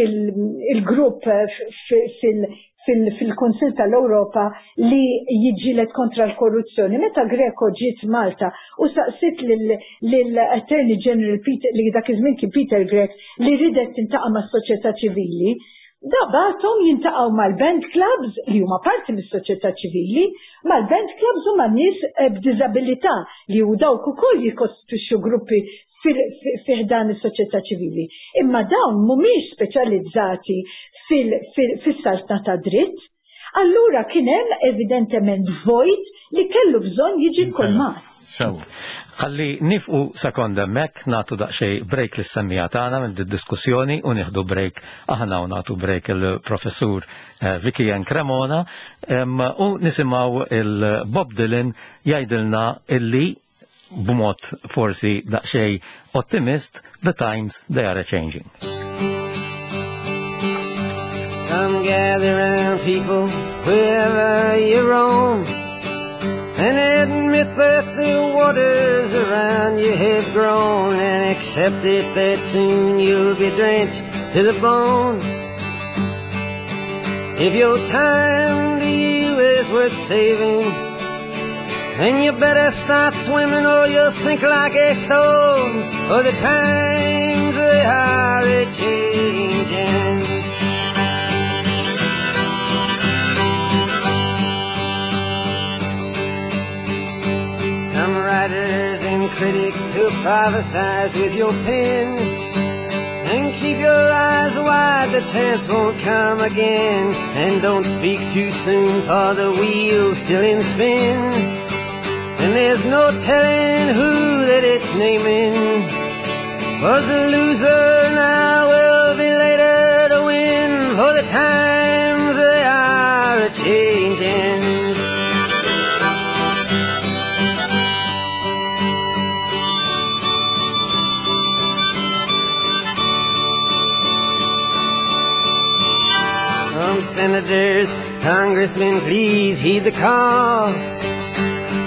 il-grupp fil-Kunsill tal-Ewropa li jiġġieled kontra l-korruzzjoni. Meta Greco ġiet Malta u saqsit lill-Attorney General Peter, li dak iż-żmien kien Peter Grech, li ridet tintaqa' mas-soċjetà ċivili, da batom jintaqgħu mal-band clubs li huma parti mis-soċjetà ċivili, mal-band clubs u man-nies b'diżabilità li hu dawk ukoll jikkostitwixxu gruppi fi ħdan is-soċjetà ċivili. Imma dawn mhumiex speċjalizzati fis-saltna ta' dritt. Allura kien hemm evidentement vojt li kellu bżonn jiġi kolmat. Sew. Ħalli nifqu sekonda hemmhekk, nagħtu daqsxejn break lis-semmija tagħna minn diskussjoni u nieħdu break aħna u nagħtu break il-professur Vicky Ann Cremona u nisimgħu il-Bob Dylan jgħidilna illi b'mod forsi daqsxejn ottimist, the times they are a-changing. Come gather round people wherever you roam, and admit that the waters around you have grown, and accept it that soon you'll be drenched to the bone. If your time to you is worth saving, then you better start swimming or you'll sink like a stone, for the times they are a-changing. Some writers and critics who prophesize with your pen, and keep your eyes wide, the chance won't come again. And don't speak too soon, for the wheel's still in spin, and there's no telling who that it's naming. For the loser now will be later to win, for the times they are a-changing. Some senators, congressmen, please heed the call.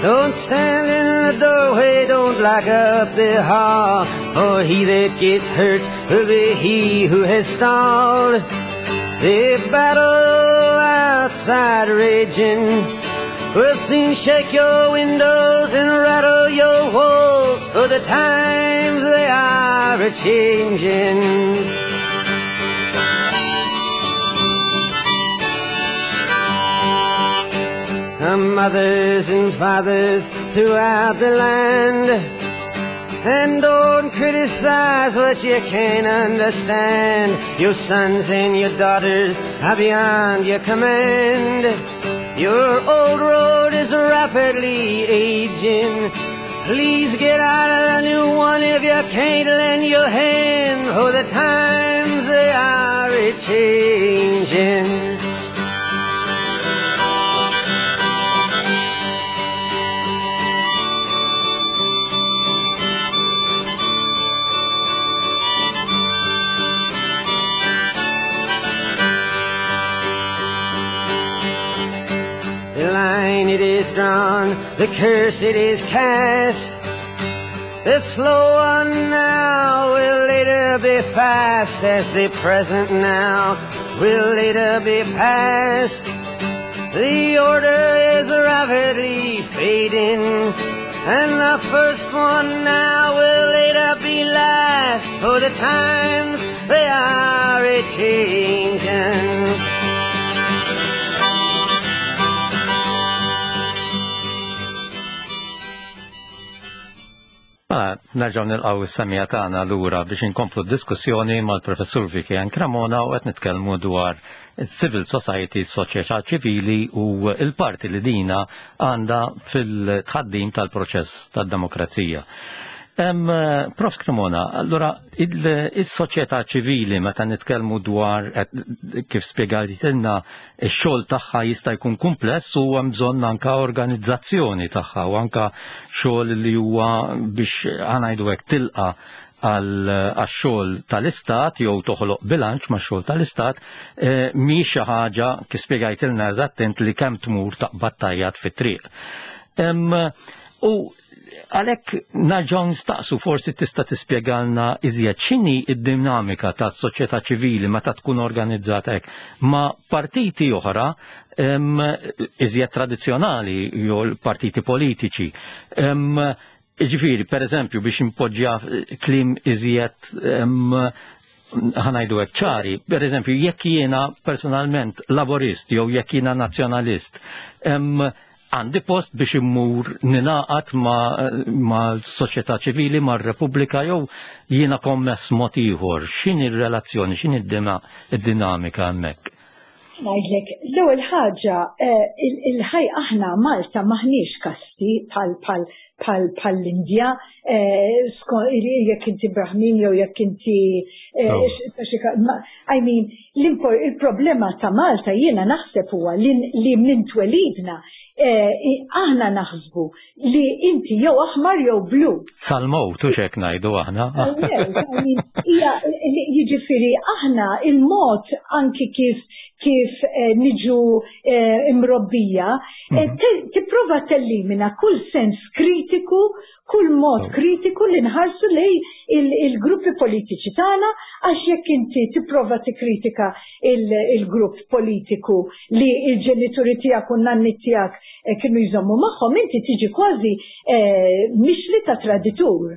Don't stand in the doorway, don't lock up the hall, for he that gets hurt will be he who has stalled. The battle outside raging will soon shake your windows and rattle your walls, for the times they are a-changing. The mothers and fathers throughout the land, and don't criticize what you can't understand. Your sons and your daughters are beyond your command. Your old road is rapidly aging. Please get out of the new one if you can't lend your hand, for the times they are a-changing. The line it is drawn, the curse it is cast. The slow one now will later be fast, as the present now will later be past. The order is rapidly fading, and the first one now will later be last, for the times they are a-changing. Mela, nerġgħu nilqgħu s-semija tagħna lura biex inkomplu d-diskussjoni mal-Professur Vicky Ann Cremona u qed nitkellmu dwar civil society, soċjetà ċivili u l-parti li dina għandha fil-tħaddim tal-proċess tad-demokrazija. Em, Prof Cremona, allura il-soċjetà ċivili meta nitkellmu dwar kif spjegajtilna x-xogħol tagħha jista' jkun kumpless u hemm bżonn anka organizzazzjoni tagħha u anka xogħol li huwa biex ngħidu hekk tilqa' għax-xogħol tal-istat jew toħloq bilanċ max-xogħol tal-istat, mhix xi ħaġa kif spjegajtilna eżattint li kemm tmur taqbad tajjat fit-triq. U għalhekk nerġgħu nistaqsu, forsi tista' tispjegalna iżjed x'inhi d-dinamika tas-soċjetà ċivili meta tkun organizzata hekk ma' partiti oħra iżjed tradizzjonali jew partiti politiċi. Ġifieri, per eżempju, biex impoġġja kliem iżjed ħanajdu hekk ċari, per eżempju, jekk jiena personalment laborist jew jekk jiena nazzjonalist, għandi post biex immur ninaqat ma' soċjetà ċivili, ma' Repubblika, jew jiena kommess mod ieħor. X'inhi r-relazzjoni, x'inhi d-dinamika hemmhekk? Ngħidlek, l-ewwel ħaġa, il-ħaj aħna Malta maħniex kasti bħal l-Indja, jekk inti Brahmin jew jekk inti I mean, il-problema ta' Malta jiena naħseb huwa li minn twelidna aħna naħsbu li inti jew aħmar jew blu. Sal-mowt, u xek ngħidu aħna. Jiġifieri aħna il-mod anki kif kif niġu imrobbija, tipprova tellimina kull sens kritiku, kull mod kritiku li nħarsu lej il-gruppi politiċi tagħna, għax jekk inti tipprova tikkritika il-grupp politiku li il-ġenituri tiegħek u n-nanni tiegħek kienu jżommu magħhom, inti tiġi kważi mixli ta' traditur.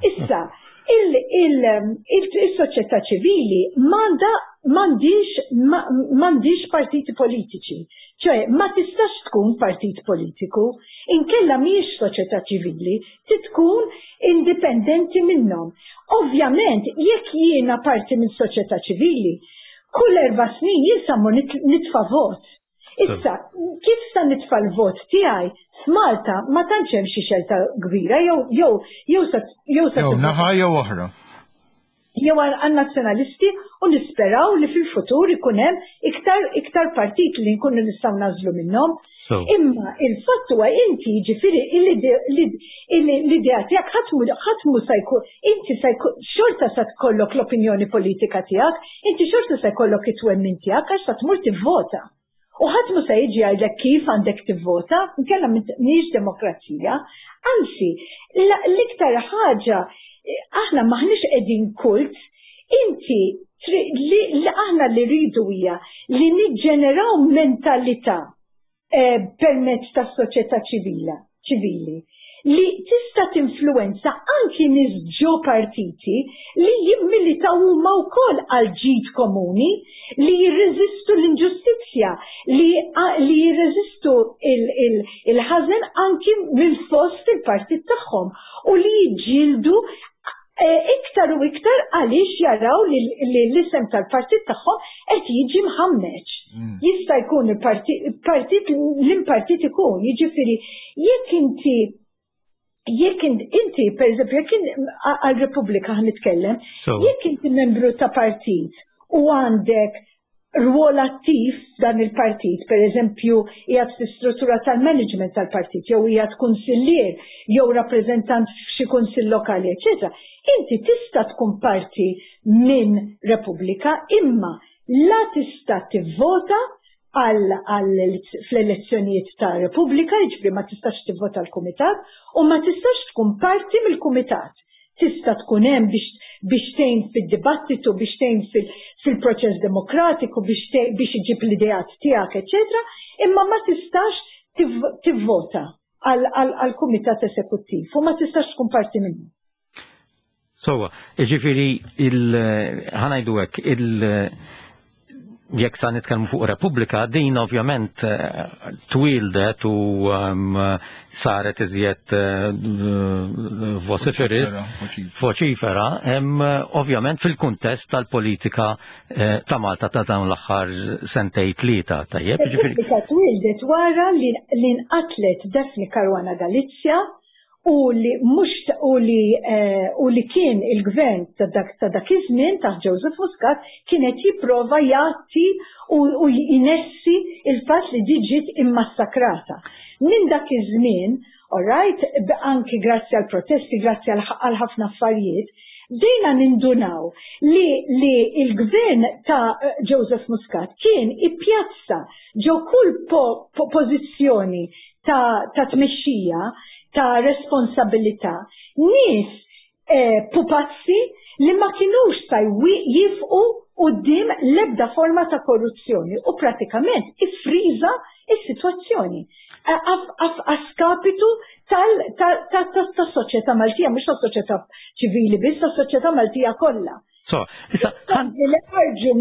Issa, il-soċjetà ċivili m'għandha m'għandix partiti politiċi, ċoe ma tistax tkun partit politiku, inkella mhijiex soċjetà ċivili, titkun indipendenti minnhom. Ovvjament, jekk jiena parti minn soċjetà ċivili, kull erba' snin jien sa mmur nitfa' vot. Issa, kif sa nitfa' l-vot tiegħi f'Malta ma tantx hemm xi xelta kbira, jew jew jew sa jew sa jew naħa jew oħra. Jew għan-nazzjonalisti, u nisperaw li fil-futur ikun hemm iktar iktar partit li nkunu nistgħu nażlu minnhom. Imma il-fatt huwa inti jiġifieri l-idea tiegħek ħadd mhu se jkun, inti se jkun xorta se tkollok l-opinjoni politika tiegħek, inti xorta se jkollok it-twemmin tiegħek għax sa tmur tivvota. U ħadd mhu se jiġi jgħidlek kif għandek tivvota, inkella mhijiex demokrazija. Anzi, l-iktar ħaġa, aħna maħniex qegħdin kult, inti li aħna li rridu hija li niġġeneraw mentalità permezz tas-soċjetà ċivili li tista' tinfluwenza anki nies ġo partiti li jimmilitaw huma wkoll għal ġid komuni, li jirreżistu l-inġustizzja, li jirreżistu il-ħażen anki minn fost il-partit tagħhom u li jiġġieldu iktar u iktar għaliex jaraw li l-isem tal-partit tagħhom qed jiġi mħammeġ. Jista' jkun il-partit l-impartit ikun, jiġifieri jekk inti Jekk inti, per eżempju, jekk għal Repubblika ħa nitkellem, jekk inti membru ta' partit u għandek rwol attiv f'dan il-partit, per eżempju, qiegħed fi struttura tal-management tal-partit, jew qiegħed kunsillier, jew rappreżentant f'xi kunsill lokali, eċetera. Inti tista' tkun parti minn Repubblika, imma la tista' tivvota għal fl-elezzjonijiet ta' Repubblika, jiġifieri ma tistax tivvota l-kumitat, u ma tistax tkun parti mill-kumitat. Tista' tkun hemm biex biex tgħin fid-dibattitu, biex tgħin fil-proċess demokratiku, biex biex iġib l-ideat tiegħek, eċetera, imma ma tistax tivvota għal-kumitat esekuttiv u ma tistax tkun parti minnu. Sewwa, ġifieri ħa ngħidu hekk, il- jekk sa nitkellmu fuq Repubblika, din ovvjament eh, twildet u um, saret iżjed uh, voċifera, ovvjament fil-kuntest tal-politika eh, ta' Malta ta' dawn l-aħħar sentej tlieta, tajjeb. Repubblika twildet wara li nqatlet Daphne Caruana Galizia u li mhux u li eh, u li kien il-gvern ta' dak ta' dak iż-żmien ta' Joseph Muscat kienet jipprova jgħatti u, u jinessi il-fatt li di ġiet immassakrata. Minn dak iż-żmien, all right, anki grazzi għal protesti, grazzi għal ħafna affarijiet, bdejna nindunaw li, li il-gvern ta' Joseph Muscat kien ippjazza ġo kull po, po pożizzjoni ta', ta' tmexxija, ta' responsabilità, nies eh, pupazzi li ma kinux sa jifqu quddiem l-ebda forma ta' korruzzjoni u pratikament iffriża is-sitwazzjoni a skapitu tas-soċjetà Maltija, mhux tas-soċjetà ċivili biss, tas-soċjetà Maltija kollha. So, issa li ħarġu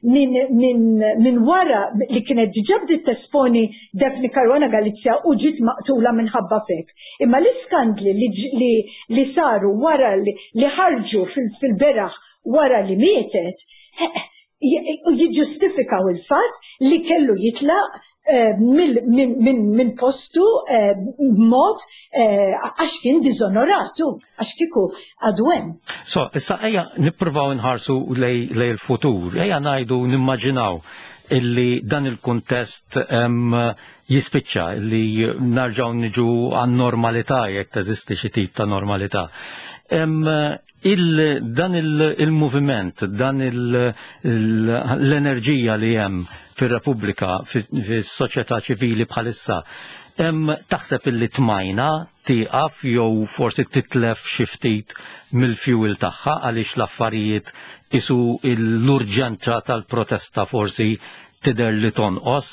minn wara li kienet diġà bdiet tesponi Daphne Caruana Galizia u ġiet maqtula minħabba fek. Imma l-iskandli li saru wara li ħarġu fil-beraħ wara li mietet, jiġġustifikaw il-fatt li kellu jitlaq minn postu b'mod għax kien diżonoratu, għax kieku għadu hemm. So, issa ejja nippruvaw nħarsu lejn il-futur, ejja ngħidu nimmaġinaw illi dan il-kuntest jispiċċa, illi narġaw niġu għan-normalità, jekk teżisti xi tip ta' normalità. Il, dan il-moviment, dan l-enerġija li hemm fir-Repubblika, fis-soċjetà ċivili bħalissa, taħseb illi tmajna tieqaf jew forsi titlef xi ftit mill-fuel tagħha għaliex l-affarijiet isu l-urġenza tal-protesta forsi tidher li tonqos?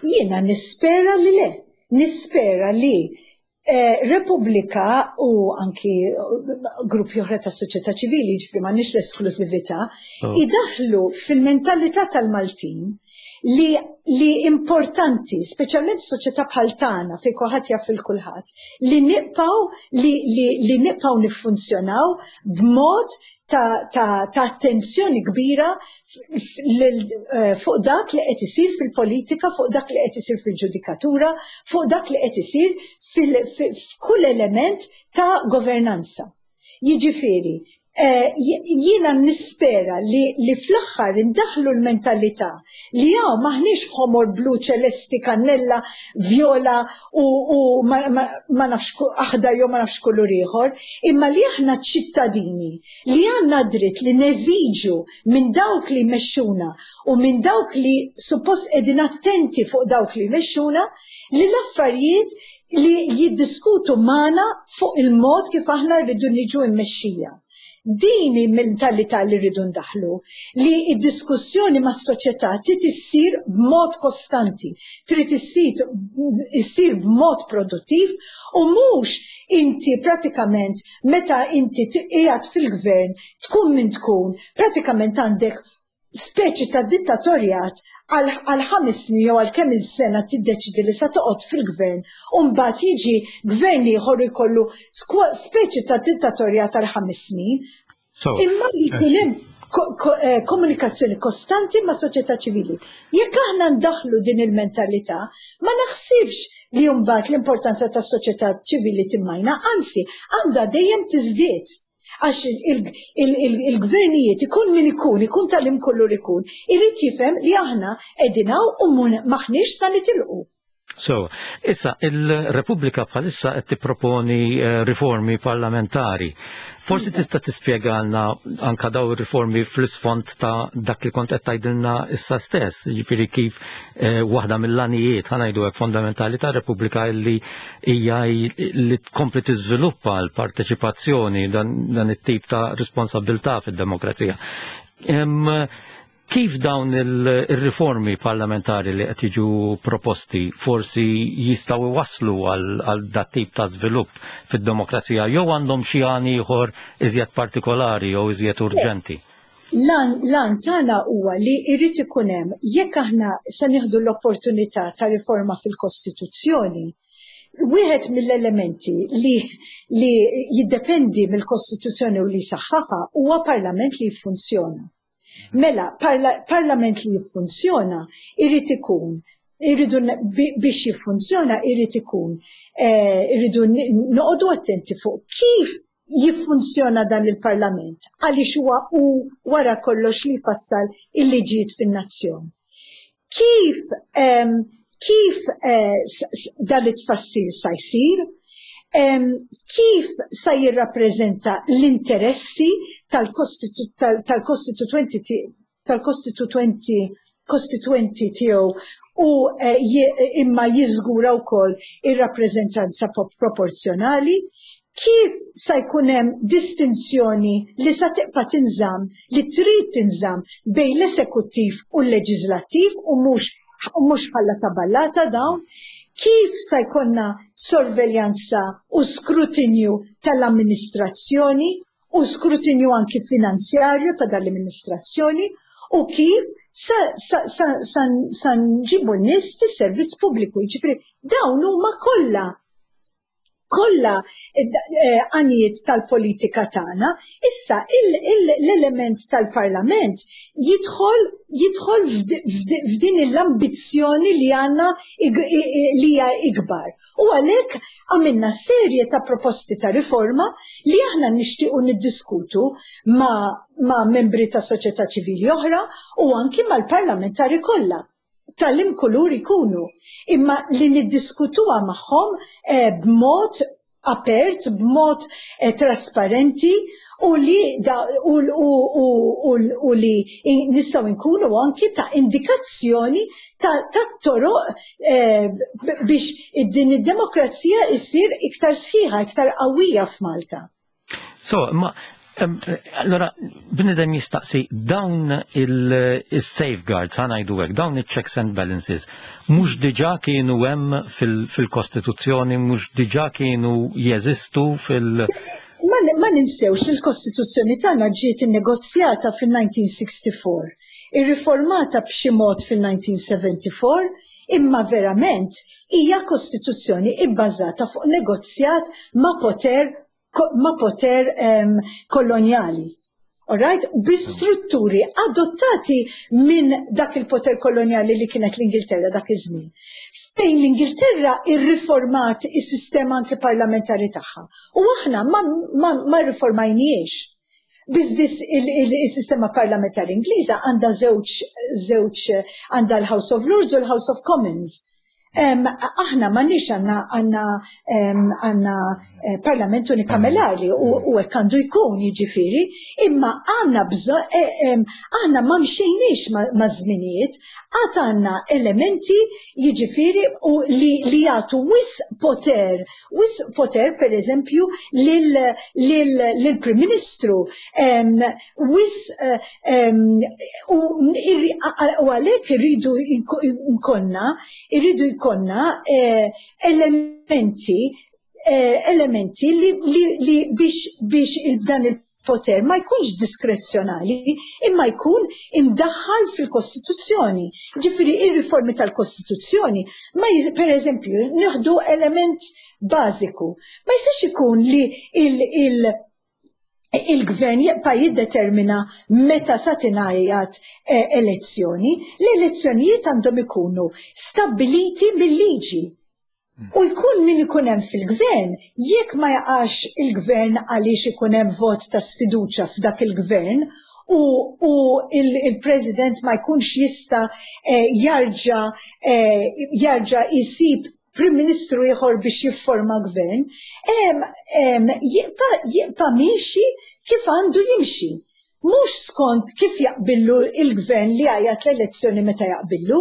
Jiena nispera li le, nispera li Eh, Repubblika u anki gruppi oħra ta' soċjetà ċivili, ġifieri m'għandniex l-esklużività, oh. idaħlu fil-mentalità tal-Maltin li, li importanti, speċjalment soċjetà bħal tagħna fejn kulħadd jaf il kulħadd, li nibqgħu li, li, li nibqgħu niffunzjonaw b'mod ta', ta, ta attenzjoni kbira eh, fuq dak li qed isir fil-politika, fuq dak li qed isir fil-ġudikatura, fuq dak li qed isir f'kull element ta' governanza. Jiġifieri, eh, jiena nispera li, li fl-aħħar indaħlu l-mentalità li hawn m'aħniex ħomor, blu, ċelesti, kannella, viola u, u ma, ma, ma nafx aħdar jew ma nafx kulur ieħor, imma li aħna ċittadini li għandna dritt li neżiġu minn dawk li jmexxuna u minn dawk li suppost qegħdin attenti fuq dawk li jmexxuna li l-affarijiet li jiddiskutu magħna fuq il-mod kif aħna rridu niġu mmexxija. Din il-mentalità li rridu ndaħlu, li id-diskussjoni mas-soċjetà trid issir b'mod kostanti, trid issir b'mod produttiv u mhux inti pratikament meta inti qiegħed fil-gvern tkun min tkun, pratikament għandek speċi ta' dittatorjat għal ħames snin jew għal kemm il-sena tiddeċidi li sa toqgħod fil-gvern u mbagħad jiġi gvern ieħor jkollu speċi ta' dittatorjat għal ħames snin. Imma li jkun hemm eh, komunikazzjoni kostanti ma' soċjetà ċivili. Jekk aħna ndaħlu din il-mentalità, ma naħsibx li mbagħad l-importanza tas-soċjetà ċivili timmajna, anzi għandha dejjem tiżdied. Għax il-gvernijiet, ikun min ikun, ikun tal-im kollu li ikun, irid jifhem li aħna qegħdin hawn u m'aħniex sa nitilqu. So, issa, il-Repubblika bħalissa qed tipproponi eh, riformi parlamentari. Forsi tista' tispjegalna anka daw ir-riformi fl-isfond ta' dak li kont qed tgħidilna issa stess, jiġifieri kif eh, waħda mill-għanijiet, ħa ngħidu hekk, fondamentali ta' Repubblika li hija li tkompli tiżviluppa l-parteċipazzjoni, dan, dan it-tip ta' responsabilità fid-demokrazija. Kif dawn il-riformi parlamentari li qed jiġu proposti forsi jistgħu iwasslu għal dat tip ta' żvilupp fid-demokrazija jew għandhom xi għan ieħor iżjed partikolari jew iżjed urġenti? L-għan tagħna huwa li jrid ikun hemm, jekk aħna se nieħdu l-opportunità ta' riforma fil-Kostituzzjoni, wieħed mill-elementi li, li jiddependi mill-Kostituzzjoni u li saħħaħa huwa parlament li jiffunzjona. Mela, parla, parlament li jiffunzjona irrid ikun, irridu biex jiffunzjona irrid ikun, eh, irridu noqogħdu attenti fuq kif jiffunzjona dan il-parlament, għaliex huwa u wara kollox li jfassal il-liġijiet fin-nazzjon. Kif, um, kif eh, dan it-tfassil sa jsir, um, kif sa jirrappreżenta l-interessi tal-kostituenti tal-kostituenti kostituenti tiegħu u eh, imma jiżgura wkoll ir-rappreżentanza proporzjonali, kif sa jkun hemm distinzjoni li sa tibqa' tinżamm, li trid tinżamm, bejn l-esekuttiv u l-leġislattiv u mhux u mhux ħalla ta' ballata dawn, kif sa jkollna sorveljanza u skrutinju tal-amministrazzjoni u skrutinju anki finanzjarju ta' dal-amministrazzjoni u kif sa, sa, sa, sa, sa nġibu n-nies fis-servizz pubbliku. Jiġifieri dawn huma kollha kollha eh, għanijiet tal-politika tagħna. Issa l-element tal-parlament jidħol jidħol f'din l-ambizzjoni li għandna li hija ikbar. U għalhekk għamilna serje ta' proposti ta' riforma li aħna nixtiequ niddiskutu ma', ma' membri ta' soċjetà ċivili oħra u anki mal-parlamentari kollha tal-im kulur ikunu, imma li niddiskutuha magħhom eh, b'mod apert, b'mod eh, trasparenti u li da, u, u, u, u, u li nistgħu nkunu anki ta' indikazzjoni ta', ta' toroq eh, biex din id-demokrazija issir iktar sħiħa, iktar qawwija f'Malta. So, ma allora, bnidem jistaqsi, dawn il-safeguards, ħa ngħidu hekk, dawn il-checks and balances, mhux diġà kienu hemm fil-Kostituzzjoni, mhux diġà kienu jeżistu fil- Ma ninsewx, il-Kostituzzjoni tagħna ġiet innegozjata fil-elf disa' mija u sittaħarsieħ, irriformata b'xi mod fil-elf disa' mija u sebgħa u sebgħin, imma verament hija kostituzzjoni ibbażata fuq negozjat ma' poter ma' poter um, koloniali. Alright? Bi strutturi adottati minn dak il-poter koloniali li kienet l-Ingilterra dak iż-żmien. Fejn l-Ingilterra irriformat is-sistema anke parlamentari tagħha. U aħna ma, ma, ma riformajniex. Biss biss il-sistema parlamentari Ingliża għandha żewġ żewġ għandha l-House of Lords u l-House of Commons. Um, aħna m'għandniex, għandna għandna għandna eh, parlament unikamerali u, u hekk għandu jkun, jiġifieri, imma għandna bżonn, eh, aħna ma mxejniex ma' żminijiet, għad għandna elementi, jiġifieri, u li, li jagħtu wisq poter, wisq poter per eżempju lill-Prim Ministru, wisq, u għalhekk irridu jkollna irridu jkollna eh, elementi eh, elementi li, li, li biex, biex dan il-poter ma jkunx diskrezzjonali imma jkun imdaħħal fil-Kostituzzjoni. Ġifieri ir-riformi tal-Kostituzzjoni, ma per eżempju, nieħdu element bażiku. Ma jistax ikun li il-, il il-gvern jibqa' jiddetermina meta sa tingħajjat eh, elezzjoni. L-elezzjonijiet għandhom ikunu stabbiliti mill-liġi. U jkun min ikun hemm fil-gvern, jekk ma jaqax il-gvern għaliex ikun hemm vot ta' sfiduċa f'dak il-gvern, u, u il-president ma jkunx jista eh, jarġa eh, jarġa jisib Prim Ministru ieħor biex jifforma gvern, jibqa' jibqa' miexi kif għandu jimxi. Mhux skont kif jaqbillu il-gvern li għajat l-elezzjoni meta jaqbillu.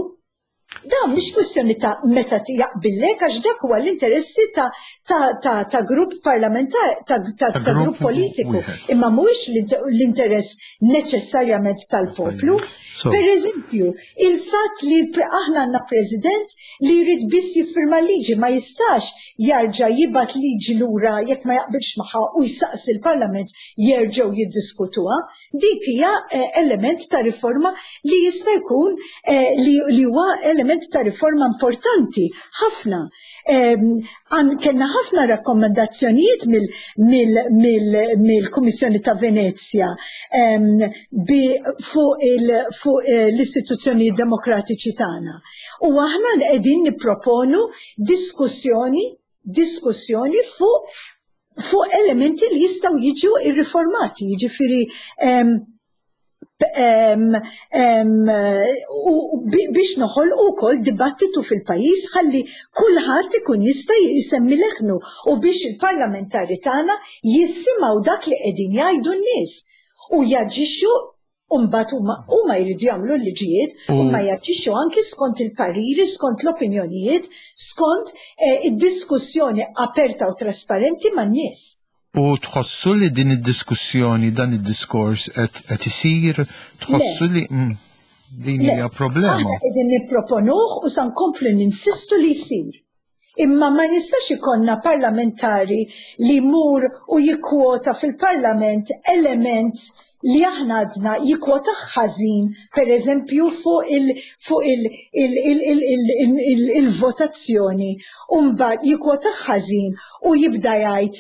Dan mhix kwistjoni ta' meta jaqbillek, għax dak huwa l-interessi ta', ta, ta, ta' grupp parlamentari, ta', ta, ta grupp politiku, imma mhuwiex l-interess neċessarjament tal-poplu. Per eżempju, il-fatt li aħna għandna president li jrid biss jiffirma liġi, ma jistax jarġa' jibgħat liġi lura jekk ma jaqbilx magħha u jsaqsi l-Parlament jerġgħu jiddiskutuha. Dik hija element ta' riforma li jista' jkun li huwa element ta' riforma importanti ħafna. Kellna ħafna rakkomandazzjonijiet mill-Kummissjoni ta' Venezja fuq l-istituzzjoni demokratiċi tagħna. U aħna qegħdin nipproponu diskussjoni diskussjoni fuq fuq elementi li jistgħu jiġu irriformati, jiġifieri biex noħolqu wkoll dibattitu fil-pajjiż ħalli kulħadd ikun jista' jsemmi leħnu u biex il-parlamentari tagħna jisimgħu dak li qegħdin jgħidu n-nies u jaġixxu. Umbat huma jridu jagħmlu l-liġijiet, huma jaġixxu anki skont il-pariri, skont l-opinjonijiet, skont id-diskussjoni aperta u trasparenti man-nies. U tħossu li din id-diskussjoni, dan id-diskors qed isir, tħossu li din hija problema? Aħna qegħdin nipproponuh u sa nkomplu ninsistu li jsir. Imma ma nistax ikollna parlamentari li jmur u jikkwota fil-parlament element li aħna għadna jikkwota ħażin, per eżempju, fuq il-votazzjoni, u mbagħad jikkwota ħażin u jibda jgħid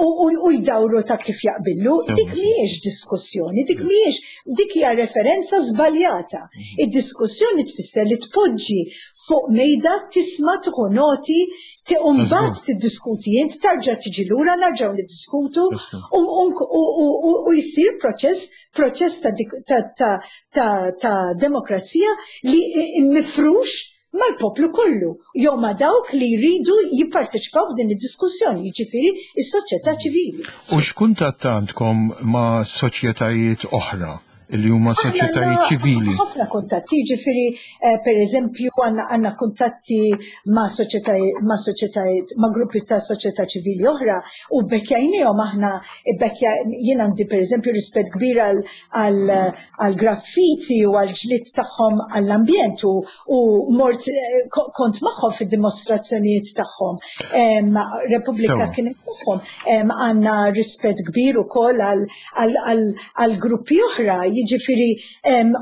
u jdawru ta' kif jaqbillu. Dik mhijiex diskussjoni, dik mhijiex, dik hija referenza żbaljata. Id-diskussjoni tfisser li tpoġġi fuq mejda, tisma', tieħu noti, u mbagħad tiddiskuti int, tarġa' tiġi lura, nerġgħu niddiskutu u jsir proċess proċess ta' demokrazija li mifrux mal-poplu kollu, jew ma' dawk li jridu jipparteċipaw f'din id-diskussjoni, jiġifieri is-soċjetà ċivili. U x'kuntatt għandkom ma' soċjetajiet oħra li huma soċjetajiet ċivili? Ħafna kuntatti, jiġifieri per eżempju għandna kuntatti ma' soċjetajiet ma' soċjetajiet ma' gruppi ta' soċjetà ċivili oħra u bekkjajnihom aħna, bekkja jien għandi per eżempju rispett kbir għal graffiti u għal ġlied tagħhom għall-ambjent u mort kont magħhom fid-dimostrazzjonijiet tagħhom. Repubblika kienet magħhom. Għandna rispett kbir ukoll għal gruppi oħra, jiġifieri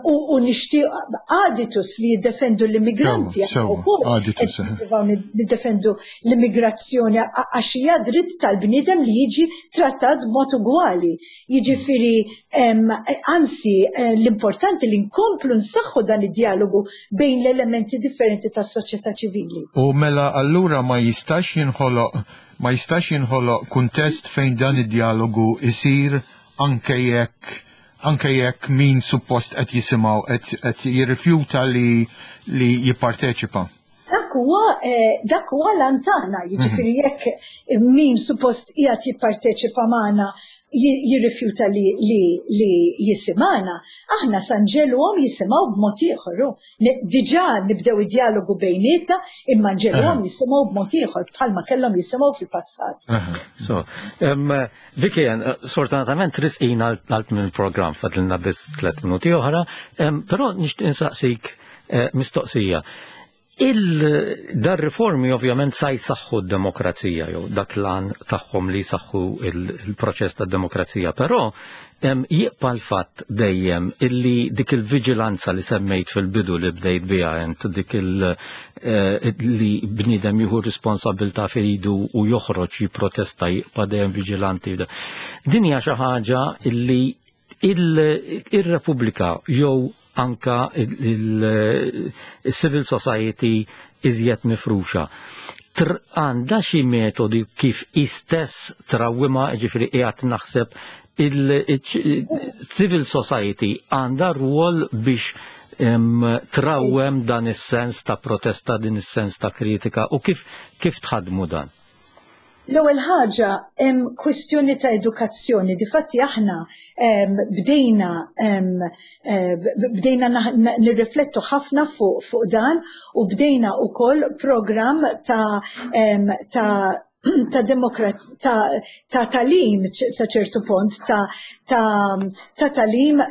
u nixtieq Aditus li jiddefendu l-immigranti, ukoll niddefendu l-immigrazzjoni għax hija dritt tal-bniedem li jiġi trattat b'mod ugwali. Jiġifieri anzi l-importanti li nkomplu nsaħħu dan id-dialogu bejn l-elementi differenti tas-soċjetà ċivili. U mela allura ma jistax jinħoloq ma jistax jinħoloq kuntest fejn dan id-dialogu isir anke jekk anke jekk min suppost qed jisimgħu qed jirrifjuta li li jipparteċipa. Dak huwa dak huwa l-antana, jiġifieri jekk min suppost qiegħed jipparteċipa magħna jirrifjuta li li li jisimgħana, aħna sa nġeluhom jisimgħu b'mod ieħor. Diġà nibdew id-dialogu bejnietna, imma nġeluhom jisimgħu b'mod ieħor bħalma kellhom jisimgħu fil-passat. So, Vicky, sfortunatament risqina għal minn il-programm fadlilna biss tliet minuti oħra, però nixtieq insaqsik mistoqsija. Il-dar riformi ovvjament sa jsaħħu d-demokrazija, jew dak l-għan tagħhom li jsaħħu il-proċess tad-demokrazija, però jibqa' l-fatt dejjem illi dik il-viġilanza li semmejt fil-bidu li bdejt biha int, dik il li bniedem jieħu responsabilità f'idu u joħroġ jipprotesta jibqa' dejjem viġilanti. Din hija xi ħaġa illi il-Repubblika jew anka il-civil society iżjed mifruxa. Għandha xi metodi kif istess trawwimha, ġifieri qiegħed naħseb il-civil society għandha rwol biex trawwem dan is-sens ta' protesta, din is-sens ta' kritika, u kif kif tħadmu dan? L-ewwel ħaġa, hemm kwistjoni ta' edukazzjoni. Difatti aħna bdejna bdejna nirriflettu ħafna fuq fuq dan u bdejna wkoll programm ta' ta' ta' demokrat ta' ta' tagħlim, sa ċertu punt ta' ta' ta' tagħlim,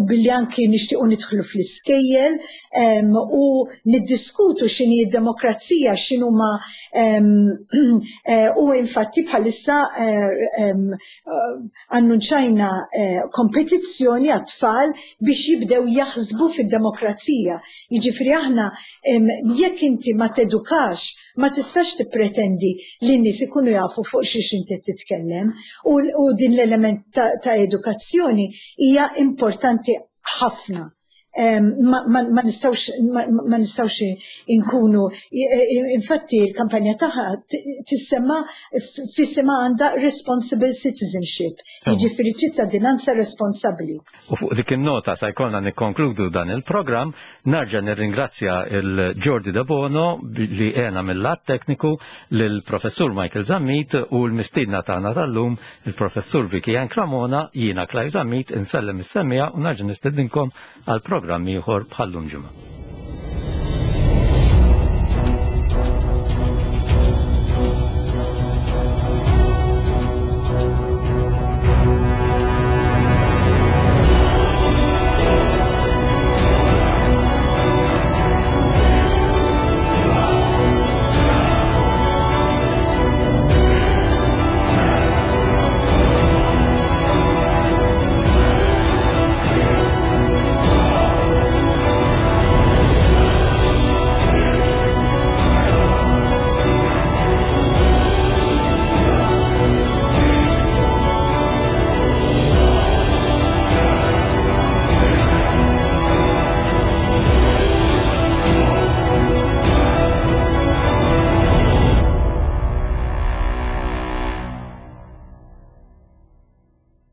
billi anki nixtiequ nidħlu fl-iskejjel u niddiskutu x'inhi d-demokrazija, x'inhuma eh, u infatti bħalissa eh, annunċajna eh, kompetizzjoni għat-tfal biex jibdew jaħsbu fid-demokrazija. Jiġifieri aħna, jekk inti ma tedukax, ma tistax tippretendi li n-nies ikunu jafu fuq xiex inti titkellem, u, u din l-element ta', ta' edukazzjoni hija importanti ħafna. Ma, ma, ma nistgħux ma, ma nistgħux inkunu, infatti l-kampanja tagħha tissemma f'isima għandha responsible citizenship, jiġifieri ċittadinanza responsabbli. U fuq dik in-nota sa jkollna nikkonkludu dan il-programm. Nerġa' nirringrazzja il-Jordi De Bono li għena mill-lat tekniku, lill-Professur Michael Zammit u l-mistiedna tagħna tal-lum, il-Professur Vicky Ann Cremona. Jiena Clive Zammit insellem is-semmiegħa u nerġa' nistedinkom għal programm ieħor bħallum ġimgħa.